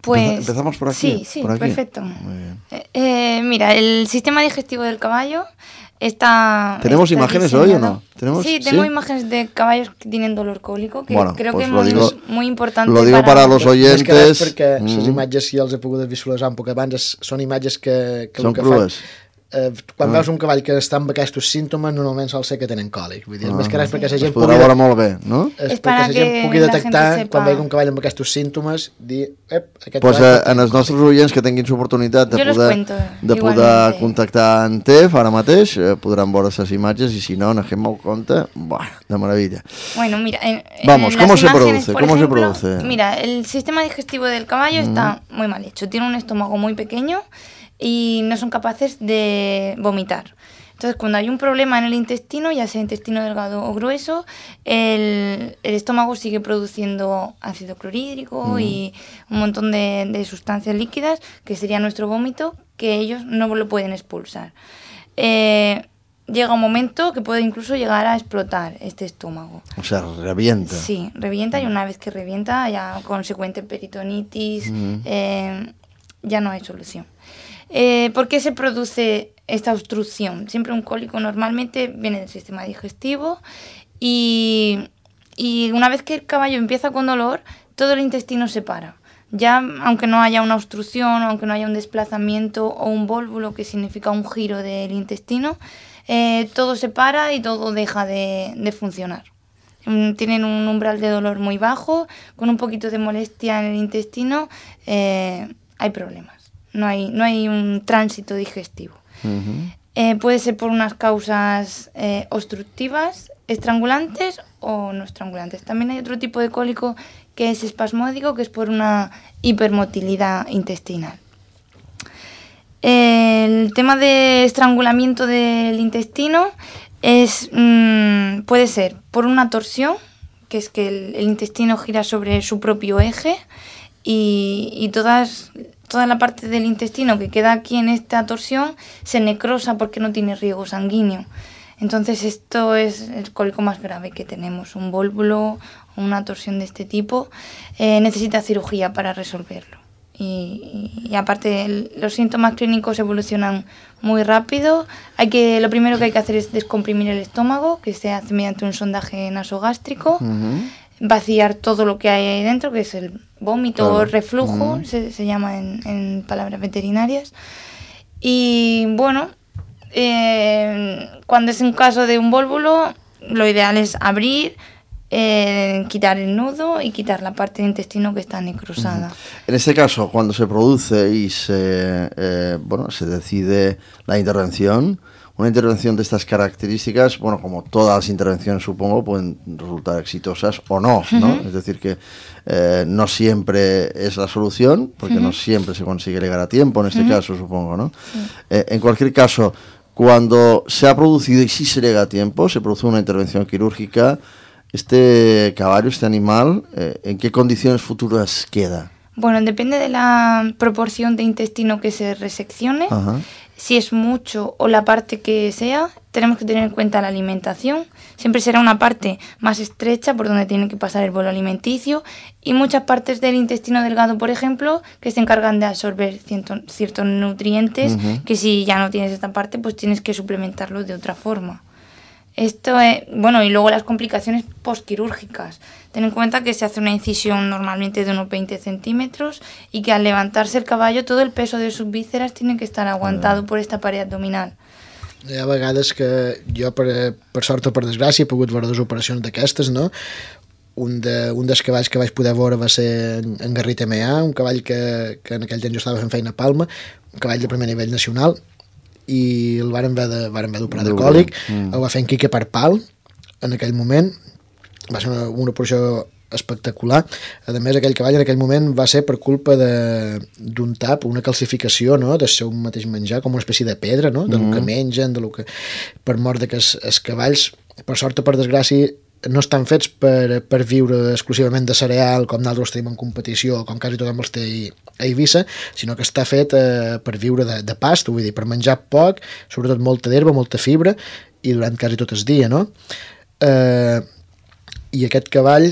Pues, Empezamos por aquí. Sí, sí, por aquí. perfecto. Muy bien. Eh, eh, mira, el sistema digestivo del caballo está... ¿Tenemos está imágenes hoy o diseñado- no? ¿Tenemos? Sí, tengo ¿Sí? imágenes de caballos que tienen dolor cólico, que Bueno, creo pues que lo es digo- muy, muy importante lo digo para los Més que res oyentes. perquè les Mm. imatges, si els he pogut visualitzar un poc abans, és- són imatges que, que Són el que crues. fan... Eh, quan veus un cavall que està amb aquests símptomes, normalment sol ser que tenen còlic. Vull dir, és més que res perquè la Es gent podrà pugui... veure molt bé, no? És És perquè para la gent que pugui la detectar gente quan sepa. vegi un cavall amb aquests símptomes, dir, ep, aquest Pues cavall eh, pot en tenir els nostres oients que tinguin l'oportunitat de Jo los poder, cuento, de poder igualmente. contactar en T E F ara mateix, eh, podran veure les imatges i si no, en Gemma ho compta, buah, de meravella. Bueno, mira, en, Vamos, en ¿cómo las se imágenes, produce? por ¿Cómo se ejemplo, produce? Mira, el sistema digestivo del caballo está muy mal hecho. Tiene un estómago muy pequeño y no son capaces de vomitar. Entonces, cuando hay un problema en el intestino, ya sea intestino delgado o grueso, el, el estómago sigue produciendo ácido clorhídrico y un montón de, de sustancias líquidas, que sería nuestro vómito, que ellos no lo pueden expulsar. Eh, llega un momento que puede incluso llegar a explotar este estómago. O sea, revienta. Sí, revienta y una vez que revienta, ya consecuente peritonitis, eh, ya no hay solución. Eh, ¿Por qué se produce esta obstrucción? Siempre un cólico normalmente viene del sistema digestivo y, y una vez que el caballo empieza con dolor, todo el intestino se para. Ya, aunque no haya una obstrucción, aunque no haya un desplazamiento o un vólvulo, que significa un giro del intestino, eh, todo se para y todo deja de, de funcionar. Mm, Tienen un umbral de dolor muy bajo, con un poquito de molestia en el intestino, eh, hay problemas. No hay, no hay un tránsito digestivo. Ujú. Eh, puede ser por unas causas eh, obstructivas, estrangulantes o no estrangulantes. También hay otro tipo de cólico que es espasmódico, que es por una hipermotilidad intestinal. El tema de estrangulamiento del intestino es, mmm, puede ser por una torsión, que es que el, el intestino gira sobre su propio eje y, y todas, toda la parte del intestino que queda aquí en esta torsión se necrosa porque no tiene riego sanguíneo. Entonces esto es el cólico más grave que tenemos, un vólvulo o una torsión de este tipo, eh, necesita cirugía para resolverlo. Y, y, y aparte el, los síntomas clínicos evolucionan muy rápido. Hay que, lo primero que hay que hacer es descomprimir el estómago, que se hace mediante un sondaje nasogástrico, Ujú. vaciar todo lo que hay ahí dentro, que es el vómito Claro. o reflujo, Ujú. se, se llama en, en palabras veterinarias. Y bueno, eh, cuando es un caso de un vólvulo, lo ideal es abrir, eh, quitar el nudo y quitar la parte del intestino que está necrosada. Uh-huh. En este caso, cuando se produce y se, eh, bueno, se decide la intervención, una intervención de estas características, bueno, como todas las intervenciones supongo, pueden resultar exitosas o no, ¿no? Uh-huh. Es decir, que eh, no siempre es la solución, porque uh-huh. no siempre se consigue llegar a tiempo, en este uh-huh. caso supongo, ¿no? Sí. Eh, en cualquier caso, cuando se ha producido y sí se llega a tiempo, se produce una intervención quirúrgica, este caballo, este animal, eh, ¿en qué condiciones futuras queda? Bueno, depende de la proporción de intestino que se reseccione. Ajá. Si es mucho o la parte que sea, tenemos que tener en cuenta la alimentación. Siempre será una parte más estrecha por donde tiene que pasar el bolo alimenticio y muchas partes del intestino delgado, por ejemplo, que se encargan de absorber cierto, ciertos nutrientes, uh-huh. que si ya no tienes esta parte, pues tienes que suplementarlo de otra forma. Esto es, bueno, y luego las complicaciones postquirúrgicas. Ten en cuenta que se hace una incisión normalmente de unos veinte centímetros y que al levantarse el caballo todo el peso de sus vísceras tiene que estar aguantado por esta pared abdominal. Hi ha vegades que jo, per, per sort o per desgràcia, he pogut veure dues operacions d'aquestes, no? Un, de, un dels cavalls que vaig poder veure va ser en, en Garrit M A, un cavall que, que en aquell temps jo estava fent feina a Palma, un cavall de primer nivell nacional, i el varen haver d'operar de, de còlic, mm. el va fer en Quique Parpal en aquell moment, va ser una, una operació espectacular. A més, aquell cavall en aquell moment va ser per culpa d'un tap, una calcificació, no?, del seu mateix menjar, com una espècie de pedra, no?, de mm. lo que mengen, de lo que... per mort de que els, els cavalls, per sort o per desgràcia, no estan fets per, per viure exclusivament de cereal, com nosaltres tenim en competició, com quasi tothom els té a Eivissa, sinó que està fet eh, per viure de, de past, vull dir, per menjar poc, sobretot molta d'herba, molta fibra, i durant quasi tot el dia, no? Eh, I aquest cavall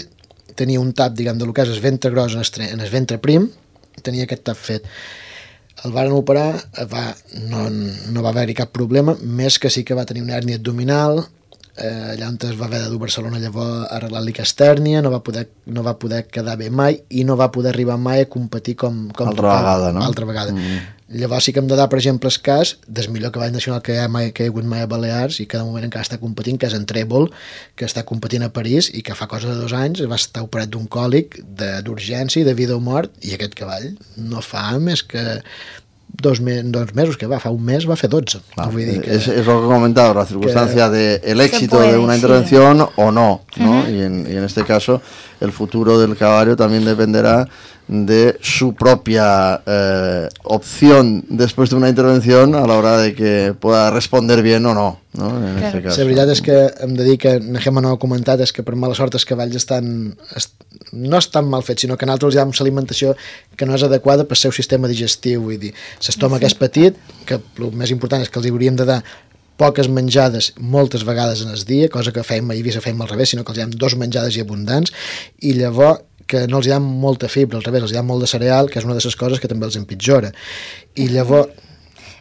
tenia un tap, diguem, de lo que és el ventre gros en el, en el ventre prim, tenia aquest tap fet. El varen operar, va, no, no va haver-hi cap problema, més que sí que va tenir una hèrnia abdominal, eh, allà on es va haver de dur a Barcelona llavors a arreglar-li castèrnia, no va, poder, no va poder quedar bé mai i no va poder arribar mai a competir com... com altra total, vegada, no? Altra vegada. Mm. Llavors sí que hem de dar, per exemple, el cas del millor cavall nacional que hi ha, mai, que hi ha hagut mai a Balears i cada moment encara està competint, que és en Trèvol, que està competint a París i que fa cosa de dos anys va estar operat d'un còlic d'urgència i de vida o mort, i aquest cavall no fa més que dos, me dos mesos, que va, fa un mes va fer dotze. Ah, vull dir que, es, es lo que he comentado, la circunstancia del de éxito puede, de una intervención sí. o no, ¿no? Uh-huh. y, en, y en este caso el futuro del caballo también dependerá de su propia eh, opción después de una intervención a la hora de que pueda responder bien o no, ¿no? En claro. este caso. La veritat és que hem de dir que Nehema no ho ha comentat, és que per mala sort els cavalls estan, est, no estan mal fets, sinó que nosaltres els diem alimentació que no és adequada pel seu sistema digestiu, vull dir, l'estómac sí. és petit, que el més important és que els hauríem de dar poques menjades moltes vegades en el dia, cosa que fem a Eivissa fem al revés, sinó que els diem dos menjades i abundants, i llavors que no els hi ha molta fibra, al revés, els hi ha molt de cereal, que és una de les coses que també els empitjora. I llavors...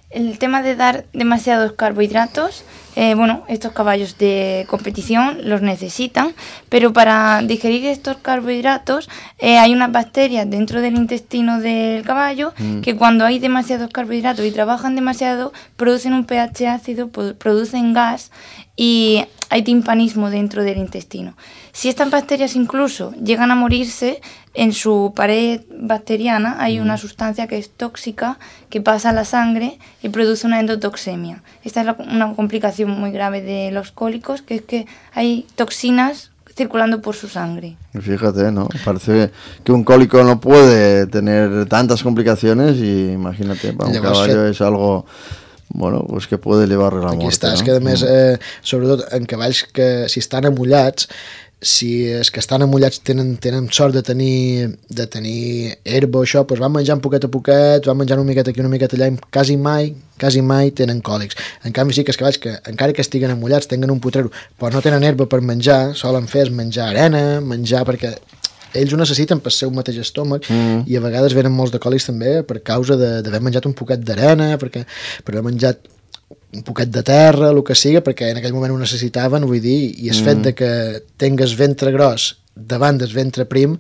El tema de dar demasiados carbohidratos, eh, bueno, estos caballos de competición los necesitan, pero para digerir estos carbohidratos eh, hay unas bacterias dentro del intestino del caballo mm. que cuando hay demasiados carbohidratos y trabajan demasiado, producen un pH ácido, producen gas y hay timpanismo dentro del intestino. Si estas bacterias incluso llegan a morirse, en su pared bacteriana hay una sustancia que es tóxica, que pasa a la sangre y produce una endotoxemia. Esta es la, una complicación muy grave de los cólicos, que es que hay toxinas circulando por su sangre. Fíjate, ¿no? Parece que un cólico no puede tener tantas complicaciones y imagínate, para un caballo es algo... bueno, pues que puede llevar a la Aquí muerte. Aquí està, no? És que a més, eh, sobretot en cavalls que si estan amullats, si els que estan amullats tenen, tenen sort de tenir, de tenir herba o això, doncs van menjant poquet a poquet, van menjant una miqueta aquí, una miqueta allà, i quasi mai, quasi mai tenen còlics. En canvi sí que els cavalls que encara que estiguen amullats, tenen un potrero, però no tenen herba per menjar, solen fer és menjar arena, menjar perquè ells ho necessiten pel seu mateix estómac mm. i a vegades venen molts de còlics també per causa d'haver menjat un poquet d'arena, perquè per haver menjat un poquet de terra, el que siga, perquè en aquell moment ho necessitaven, vull dir, i el mm. fet de que tingues ventre gros davant del ventre prim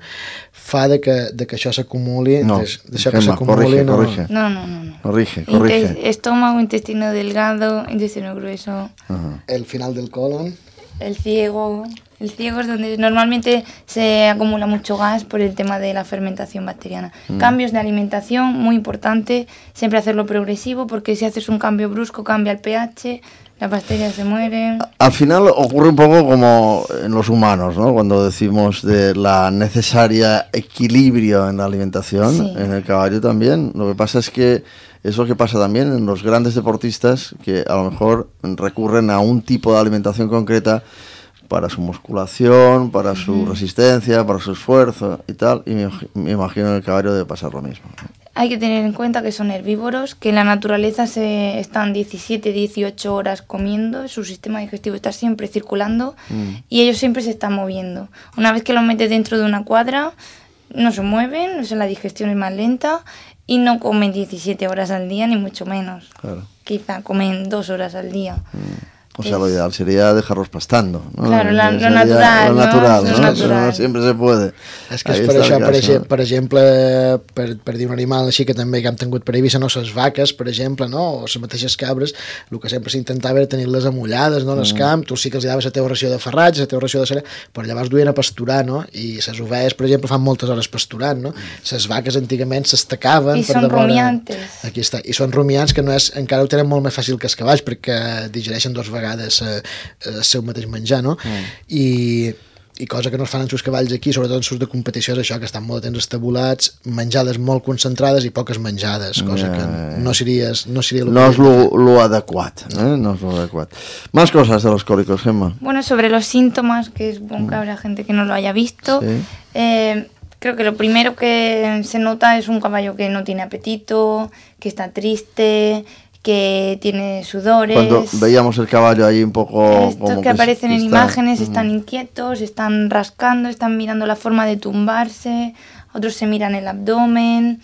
fa de que, de que això s'acumuli, No, d'això que Gemma, s'acumuli. corrige, no... corrige. No, no, no. no. Corrige, corrige. Intes- estómago, intestino delgado, intestino grueso, Ajá. El final del colon. el ciego. El ciego es donde normalmente se acumula mucho gas por el tema de la fermentación bacteriana. Mm. Cambios de alimentación, muy importante, siempre hacerlo progresivo, porque si haces un cambio brusco cambia el pH, las bacterias se mueren. Al final ocurre un poco como en los humanos, ¿no? Cuando decimos de la necesaria equilibrio en la alimentación, Sí. en el caballo también. Lo que pasa es que es lo que pasa también en los grandes deportistas que a lo mejor recurren a un tipo de alimentación concreta para su musculación, para su resistencia, para su esfuerzo y tal. Y me, me imagino en el caballo debe pasar lo mismo, ¿no? Hay que tener en cuenta que son herbívoros, que en la naturaleza se están diecisiete, dieciocho horas comiendo, su sistema digestivo está siempre circulando Mm. y ellos siempre se están moviendo. Una vez que los metes dentro de una cuadra, no se mueven, o sea, la digestión es más lenta y no comen diecisiete horas al día, ni mucho menos. Claro. Quizá comen dos horas al día. O sea, lo ideal sería dejarlos pastando, ¿no? Claro, la- lo Sería natural, Lo ¿no? natural, Lo ¿no? natural. No siempre se puede. És que Ahí és per está això, el per, caso. exemple, per exemple, per, per dir un animal així que també que hem tingut per Eivissa, no, les vaques, per exemple, no, o les mateixes cabres, el que sempre s'intentava era tenir-les amullades, no, en el camp, tu sí que els daves la teva ració de farratge, la teva ració de cera, però llavors duien a pasturar, no, i les ovelles, per exemple, fan moltes hores pasturant, no, les vaques antigament s'estacaven. I per són devora- rumiantes. Aquí està, i són rumiants que no és, encara ho tenen molt més fàcil que els cavalls perquè digereixen dues vegades eh, el seu mateix menjar, no? Mm. I, i cosa que no es fan en els cavalls aquí, sobretot en els de competició, és això, que estan molt temps estabulats, menjades molt concentrades i poques menjades, cosa Ja, que ja, ja. no seria, no seria el No que es lo, lo adecuat, ¿eh? No es lo adecuat. Más cosas de los cólicos, Gemma. Bueno, sobre los síntomas, que es bueno que habrá gente que no lo haya visto, Sí. eh, creo que lo primero que se nota es un caballo que no tiene apetito, que está triste, que tiene sudores. Cuando veíamos el caballo ahí un poco... Estos como que aparecen que en está- imágenes Mm. están inquietos, están rascando, están mirando la forma de tumbarse, otros se miran el abdomen,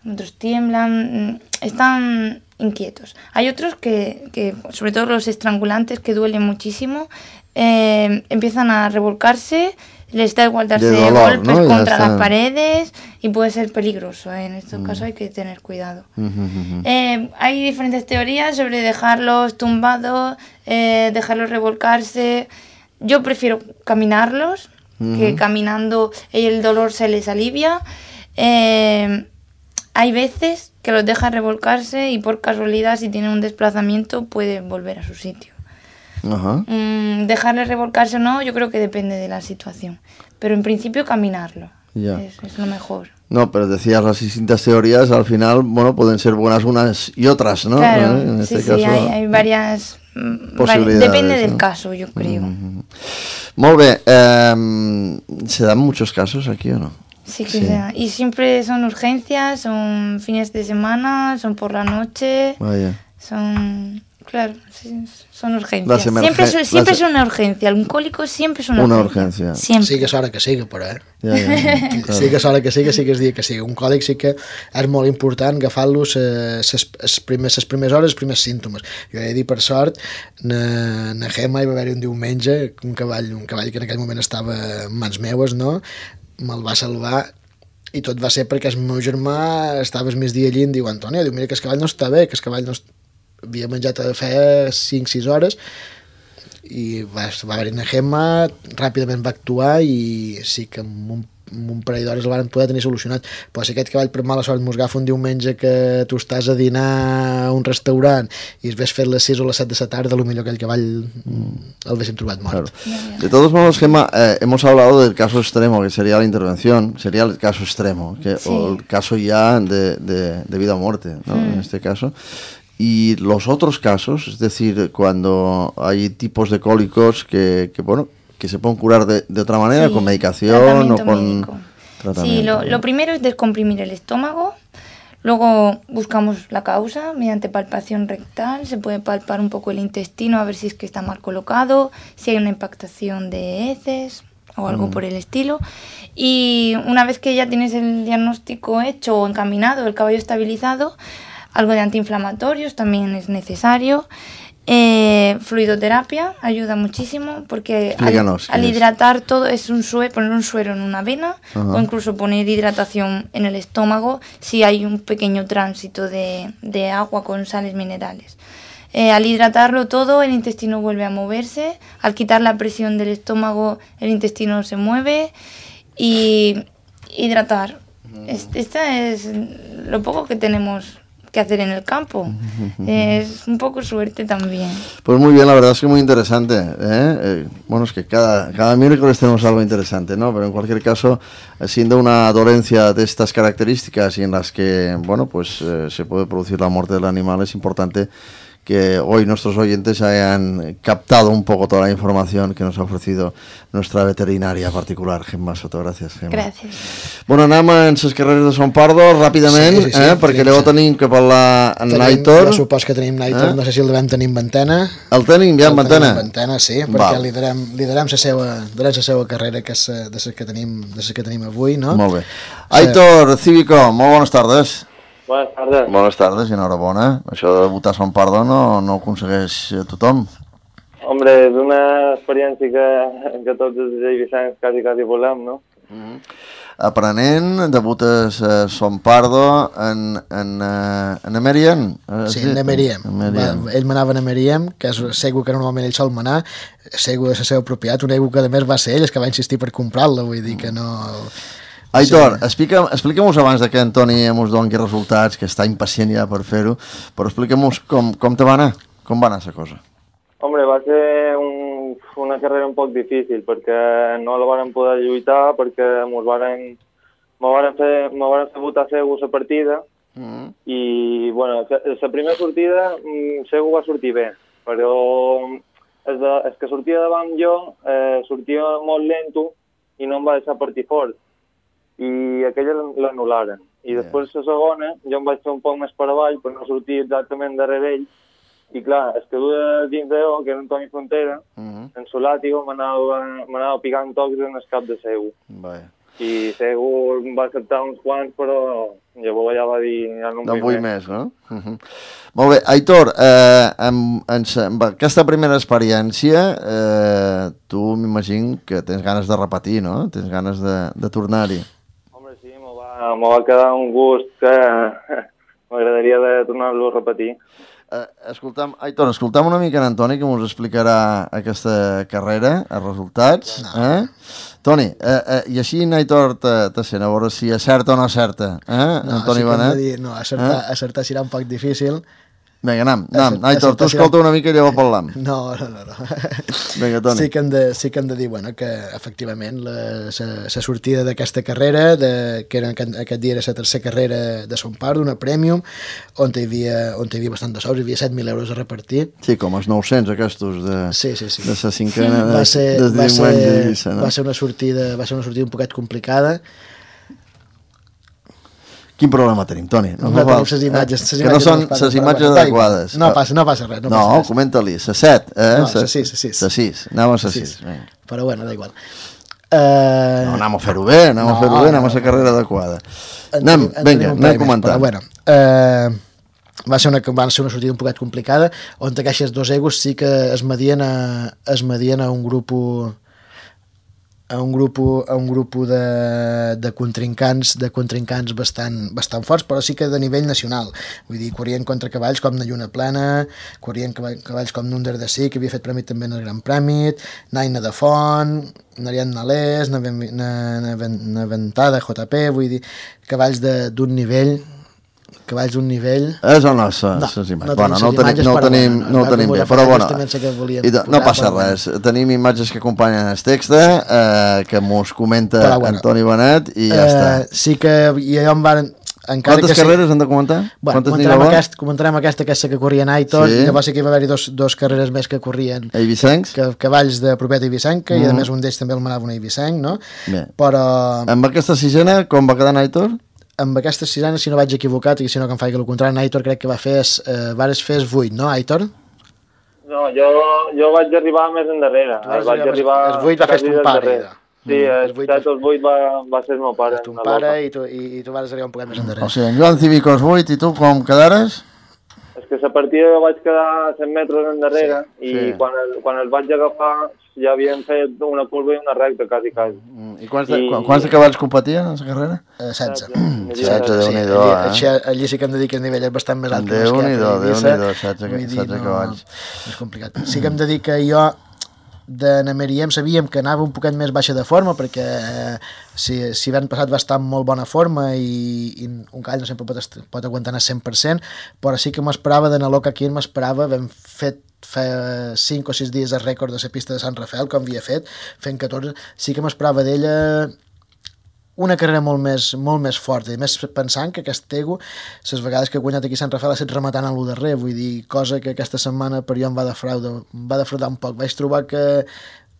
otros tiemblan, mm, están inquietos. Hay otros que, que sobre todo los estrangulantes, que duelen muchísimo, eh, empiezan a revolcarse, les da igual darse De dolor, golpes ¿no? Ya contra está. las paredes y puede ser peligroso, ¿eh? En estos casos hay que tener cuidado. Ujú, ujú. Eh, hay diferentes teorías sobre dejarlos tumbados, eh, dejarlos revolcarse. Yo prefiero caminarlos, que caminando el dolor se les alivia. Eh, hay veces que los dejan revolcarse y por casualidad, si tienen un desplazamiento, pueden volver a su sitio. Ajá. Mm, dejarles revolcarse o no, yo creo que depende de la situación. Pero en principio caminarlo Ya. es, es lo mejor. No, pero decías las distintas teorías, al final, bueno, pueden ser buenas unas y otras, ¿no? Claro, ¿Eh? En sí, este sí, caso, hay, hay varias... mm, vari- posibilidades, depende del ¿no? caso, yo creo. Molt bé, eh, ¿se dan muchos casos aquí o no? Sí que Sí. sea. Y siempre son urgencias, son fines de semana, son por la noche, Vaya. son... Claro, sí, son urgencias. Las emergen- Siempre, es- siempre las- es una urgencia. Un cólico siempre es una, Una urgencia. urgencia. Siempre. Sí que és hora que siga, però, eh? Ja, ja, claro. Sí que és hora que siga, sí que és dia que siga. Un còlic sí que és molt important agafar-los eh, ses, les primeres, les primeres hores, els primers símptomes. Jo he de dir, per sort, na, na Gemma hi va haver un diumenge, un cavall, un cavall que en aquell moment estava en mans meues, no? Me'l va salvar i tot va ser perquè el meu germà estava el migdia allí i em diu, Antònia, diu, mira que el cavall no està bé, que el cavall no est... havia menjat a fer cinc sis hores i va, va haver una Gemma, ràpidament va actuar i sí que en un, en un parell d'hores el van poder tenir solucionat. Però si aquest cavall per mala sort mos agafa un diumenge que tu estàs a dinar a un restaurant i es ves fet les sis o les set de la tarda, potser aquell cavall mm, el haguéssim trobat mort. Claro. De todos modos, Gemma, eh, hemos hablado del caso extremo, que sería la intervención, sería el caso extremo, que, Sí. o el caso ya de, de, de vida o muerte, ¿no? Mm. En este caso. Y los otros casos, es decir, cuando hay tipos de cólicos que, que bueno, que se pueden curar de, de otra manera, Sí, con medicación o tratamiento con médico. tratamiento. Sí, lo, lo primero es descomprimir el estómago. Luego buscamos la causa mediante palpación rectal. Se puede palpar un poco el intestino a ver si es que está mal colocado, si hay una impactación de heces o algo Mm. por el estilo. Y una vez que ya tienes el diagnóstico hecho o encaminado, el caballo estabilizado, algo de antiinflamatorios también es necesario. Eh, fluidoterapia ayuda muchísimo porque Explícanos, al, al ¿qué es? hidratar todo es un suero, poner un suero en una vena Ajá. o incluso poner hidratación en el estómago si hay un pequeño tránsito de, de agua con sales minerales. Eh, al hidratarlo todo, el intestino vuelve a moverse. Al quitar la presión del estómago, el intestino se mueve. Y hidratar. Es, esta es lo poco que tenemos que hacer en el campo. Es un poco suerte también. Pues muy bien, la verdad es que muy interesante. ¿eh? Eh, bueno, es que cada, cada miércoles tenemos algo interesante, ¿no? Pero en cualquier caso, siendo una dolencia de estas características y en las que, bueno, pues eh, se puede producir la muerte del animal, es importante que hoy nuestros oyentes hayan captado un poco toda la información que nos ha ofrecido nuestra veterinaria particular, Gemma Soto. Gràcies, Gemma. Gràcies. Bueno, anem en les carreres de Son Pardo ràpidament, Sí, sí, sí, eh? perquè llavors tenim que parlar en Naitor. Jo supos que tenim Naitor, Eh? no sé si el devem tenir en ventana. El tenim ja en El tenim ventana? en ventana, sí, Val. perquè liderem, liderem la seva, donem la seva carrera, que és eh, de les que tenim, de les que tenim avui, no? Molt bé. Aitor Cívico, molt bones tardes. Buenas tardes. Bones tardes i enhorabona. Això de debutar a Son Pardo no, no ho aconsegueix tothom. Hombre, és una experiència que, que tots els eivissancs quasi, quasi volem, no? Aprenent, debutes a Son Pardo en, en, eh, en Emerien. eh, Sí, en Emeriem. Emeriem. Va, ell manava en Emeriem, que és segur que normalment ell sol manar, segur de la seva propietat, un ego que a més va ser ell el que va insistir per comprar-la, vull dir que no... Aitor, explica, explica-mos abans de que Antoni ens doni resultats, que està impacient ja per fer-ho, però explica-mos com, com te va anar, com va anar la cosa. Hombre, va ser un, una carrera un poc difícil, perquè no la varen poder lluitar, perquè mos varen, me varen fer, me varen fer votar Segu la partida, Mm. i, bueno, la primera sortida mm, Segu va sortir bé, però és, de, és que sortia davant jo, eh, sortia molt lento i no em va deixar partir fort. I aquella l'anul·laren. I després la segona, jo em vaig fer un poc més per avall per no sortir exactament darrere ell. I clar, es que duia dins d'ell, que era Antoni Frontera, Mm -hmm. en su làtigo m'anava picant tocs en el cap de Segu. Vaja. I Segu em va acceptar uns quants, però llavors ja va dir... Ja no, No en vull més, no? Uh -huh. Molt bé. Aitor, eh, amb, amb, amb aquesta primera experiència, eh, tu m'imagino que tens ganes de repetir, no? Tens ganes de, de tornar-hi. Home, sí, me va, me va quedar un gust que m'agradaria de tornar-lo a repetir. Eh, escoltam, Aitor, escoltam una mica en Antoni, que ens explicarà aquesta carrera, els resultats. No. Eh? Toni, eh, eh, i així en Aitor te, te sent, a veure si acerta o no acerta. Eh? No, Antoni sí que hem de Benet. dir, no, acertar, Eh? acertar serà un poc difícil. Vinga, anem, anem. Acert- Aitor, tu acertar escolta serà- una mica i llavors parlam. No, no, no. no. Vinga, Toni. Sí que, hem de, sí que hem de dir bueno, que efectivament la, la, la sortida d'aquesta carrera, de, que era aquest, aquest dia era la tercera carrera de Son Pardo, una Premium, on hi havia, on hi havia bastant de sous, hi havia set mil euros a repartir. Sí, com els nou-cents aquests de, Sí, sí, sí. de la cinquena de, Va ser, de va, diumenge ser, d'Eivissa, no? va ser una sortida, va ser una sortida un poquet complicada. Quin problema tenim, Toni? No, fa tenim falta, les imatges, eh? les Que no imatges són no es passen les per imatges la pantalla. adequades. No passa, no passa res, no No, passa res. comenta-li, la set, eh? No, la sis, la sis. La sis, anem a la sis. sis. Vinga. Però bueno, da igual. Uh, No, anem a fer-ho bé, anem No, a fer-ho bé, anem a no, la carrera adequada. en Anem, tenim- en vinga, tenim un anem parell més, comentant. Però bueno, uh, va ser una, va ser una sortida un poquet complicada, on aquests dos egos sí que es medien a, es medien a un grup a un grup, a un grup de, de contrincants de contrincants bastant, bastant forts, però sí que de nivell nacional. Vull dir, corrien contra cavalls com na Lluna Plana, corrien cavalls com Nunder de Sí, que havia fet premi també en el Gran Premi, Naina de Font, Narian Nalés, Naventada, J P, vull dir, cavalls d'un nivell cavalls d'un nivell... És el nostre, No, les imatges. no Bueno, tenim no ho les tenim, imatges, no ho però tenim, bueno, no ho no, tenim com bé, us però bueno, justament sé que volíem i de, no posar, passa però bueno. res. Tenim imatges que acompanyen el text, eh, que mos comenta Però bueno. Antoni Benet i ja Eh, està. sí que i allò em van... Encara Quantes que carreres han de comentar? Bueno, Quantes n'hi comentarem, va? aquest, comentarem aquesta, aquesta que corria en Aitor, Sí. i llavors sí que hi va haver-hi dos, dos carreres més que corrien Eivissencs? que, cavalls de propeta eivissenca, Mhm. i a més un d'ells també el manava un eivissenc, no? Bé. Però Amb aquesta sisena, com va quedar en Aitor? amb aquesta sisena, si no vaig equivocat, i si no que em faig el contrari, en Aitor crec que va fer, es, eh, vares fer es vuit, no, Aitor? No, jo, jo vaig arribar més endarrere. Tu vas Vaig arribar més- arribar... els vuit va fer quasi ton del pare, darrere. ja. Sí, Mm, els els vuit set va- o els vuit va, va ser el meu pare. ton en la pare volta. i tu, i, i tu vas arribar un poquet més endarrere. O sigui, en Joan Cívico els vuit i tu com quedares? És que la partida vaig quedar cent metres endarrere sí, i sí. Quan, el, quan els vaig agafar ja havien fet una curva i una recta, quasi, quasi. Mm. I quants, de, I... quants de cavalls competien en la carrera? Uh, setze. setze, Déu-n'hi-do, sí, eh? Allí, allí sí que hem de dir que el nivell és bastant més alt que Déu-n'hi-do, Déu-n'hi-do, setze cavalls. És complicat. Sí que hem de dir que jo de Nameriem sabíem que anava un poquet més baixa de forma perquè eh, si, si havien passat bastant molt bona forma i, i un cavall no sempre pot, pot aguantar al cent per cent, però sí que m'esperava de Naloca aquí, m'esperava, vam fet fa cinc o sis dies el rècord de la pista de Sant Rafael, com havia fet, fent catorze, sí que m'esperava d'ella una carrera molt més, molt més forta, i més pensant que aquest Tegu, les vegades que ha guanyat aquí Sant Rafael ha estat rematant a l'u darrer, vull dir, cosa que aquesta setmana per jo em va defraudar, em va defraudar un poc. Vaig trobar que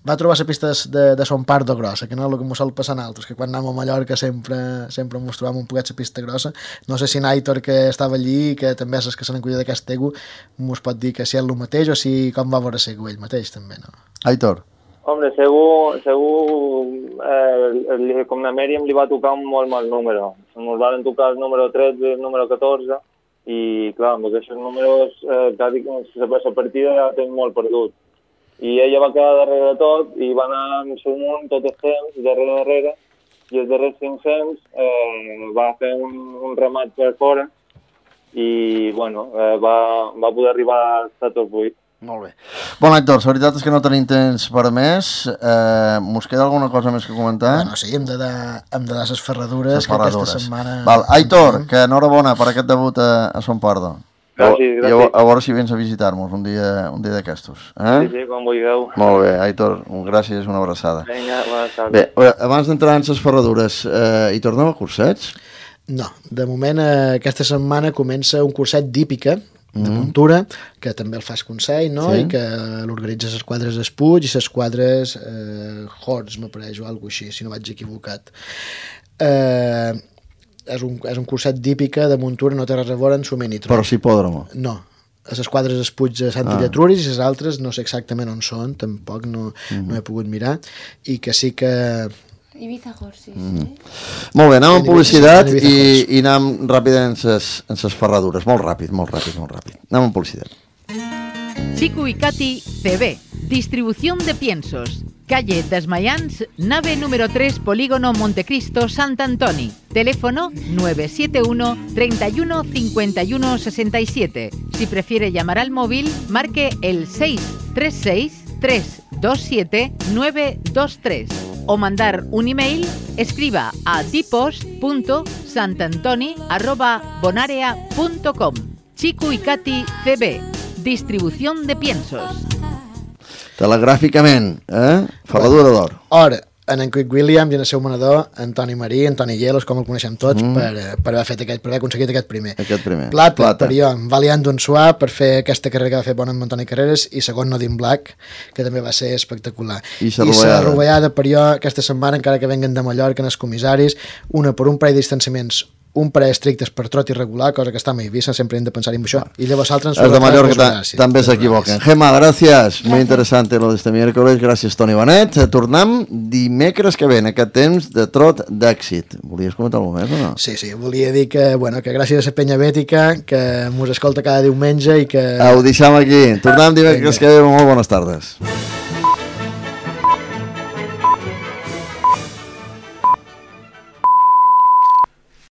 va trobar la pista de, de Son Pardo grossa, que no és el que m'ho sol passar a altres, que quan anem a Mallorca sempre, sempre mos trobàvem un poquet la pista grossa. No sé si Naitor, que estava allí, que també és el que se n'encuida d'aquest Tegu, mos pot dir que si és el mateix o si com va veure Segu ell mateix, també, no? Aitor. Hombre, segur, segur eh, com a Mèriam li va tocar un molt mal número. Ens van tocar el número tretze i el número catorze i, clar, amb aquests números eh, quasi la partida ja tenen molt perdut. I ella va quedar darrere de tot i va anar en su munt tot el temps, darrere darrere, i els darrers cinc-cents eh, va fer un, un remat per fora i, bueno, eh, va, va poder arribar a top vuit. Molt bé. Bon, Aitor, la veritat és que no tenim temps per més. Eh, mos queda alguna cosa més que comentar? Bueno, sí, hem de dar, hem de dar les ferradures, que aquesta setmana... Val, Aitor, que enhorabona per aquest debut a, a Son Pardo. Gràcies, gràcies. I a, a veure si vens a visitar-nos un dia, un dia d'aquestos. Eh? Sí, sí, com vulgueu. Molt bé, Aitor, gràcies, una abraçada. Vinga, bones tardes. Bé, abans d'entrar en les ferradures, eh, hi tornem a cursets? No, de moment eh, aquesta setmana comença un curset d'hípica, de muntura, que també el fas Consell, no? Sí. I que l'organitza les quadres Espuig i les quadres eh, Horts, m'apareix, o alguna cosa així, si no vaig equivocat. Eh, és, un, és un curset d'hípica de muntura, no té res a veure en Soment i Troll. Però sí hipòdromo. No, a les quadres Espuig a Sant ah. Illetruris i les altres no sé exactament on són, tampoc no, mm-hmm. no he pogut mirar, i que sí que... Ibiza Horses, mm. eh? Molt bé, anem amb publicitat i, i anem ràpid en ses ferradures. Molt ràpid, molt ràpid, molt ràpid. Anem amb publicitat. Chico y Katy C B, distribución de piensos. Calle Desmayans, nave número tres, Polígono Montecristo, Sant Antoni. Teléfono nueve siete uno, treinta y uno, cincuenta y uno, sesenta y siete. Si prefiere llamar al móvil, marque el seis tres seis, tres dos siete, nueve dos tres. O mandar un email, escriba a dipost punto santantoni arroba bonarea punto com. Chico y Katy C B, distribución de piensos. Telegràficament, eh? Ferradura d'or. Or, en en Quick Williams i en el seu manador, Antoni Marí, Antoni Hielos, com el coneixem tots, mm. per, per haver fet aquest, per haver aconseguit aquest primer. Aquest primer. Plata, Plata. Per jo, Valiant d'un Suà, per fer aquesta carrera que va fer bona amb Antoni Carreras, i segon Nodin Black, que també va ser espectacular. I la rovellada, per jo, aquesta setmana, encara que venguen de Mallorca, en els comissaris, una per un parell de distanciaments, un parell estrictes per trot irregular, cosa que està a Eivissa, sempre hem de pensar en això. Y luego saltan los de Mallorca també s'equivoquen. Gemma, gràcies. Muy interesante lo de este miércoles. Gràcies, Toni Benet. Tornem dimecres que ve, en aquest temps de trot d'èxit. Volies comentar alguna cosa més o no? Sí, sí. Volia dir que, bueno, que gràcies a la penya bètica, que mos escolta cada diumenge i que... Ho deixem aquí. Tornem dimecres que ve. Molt bones tardes.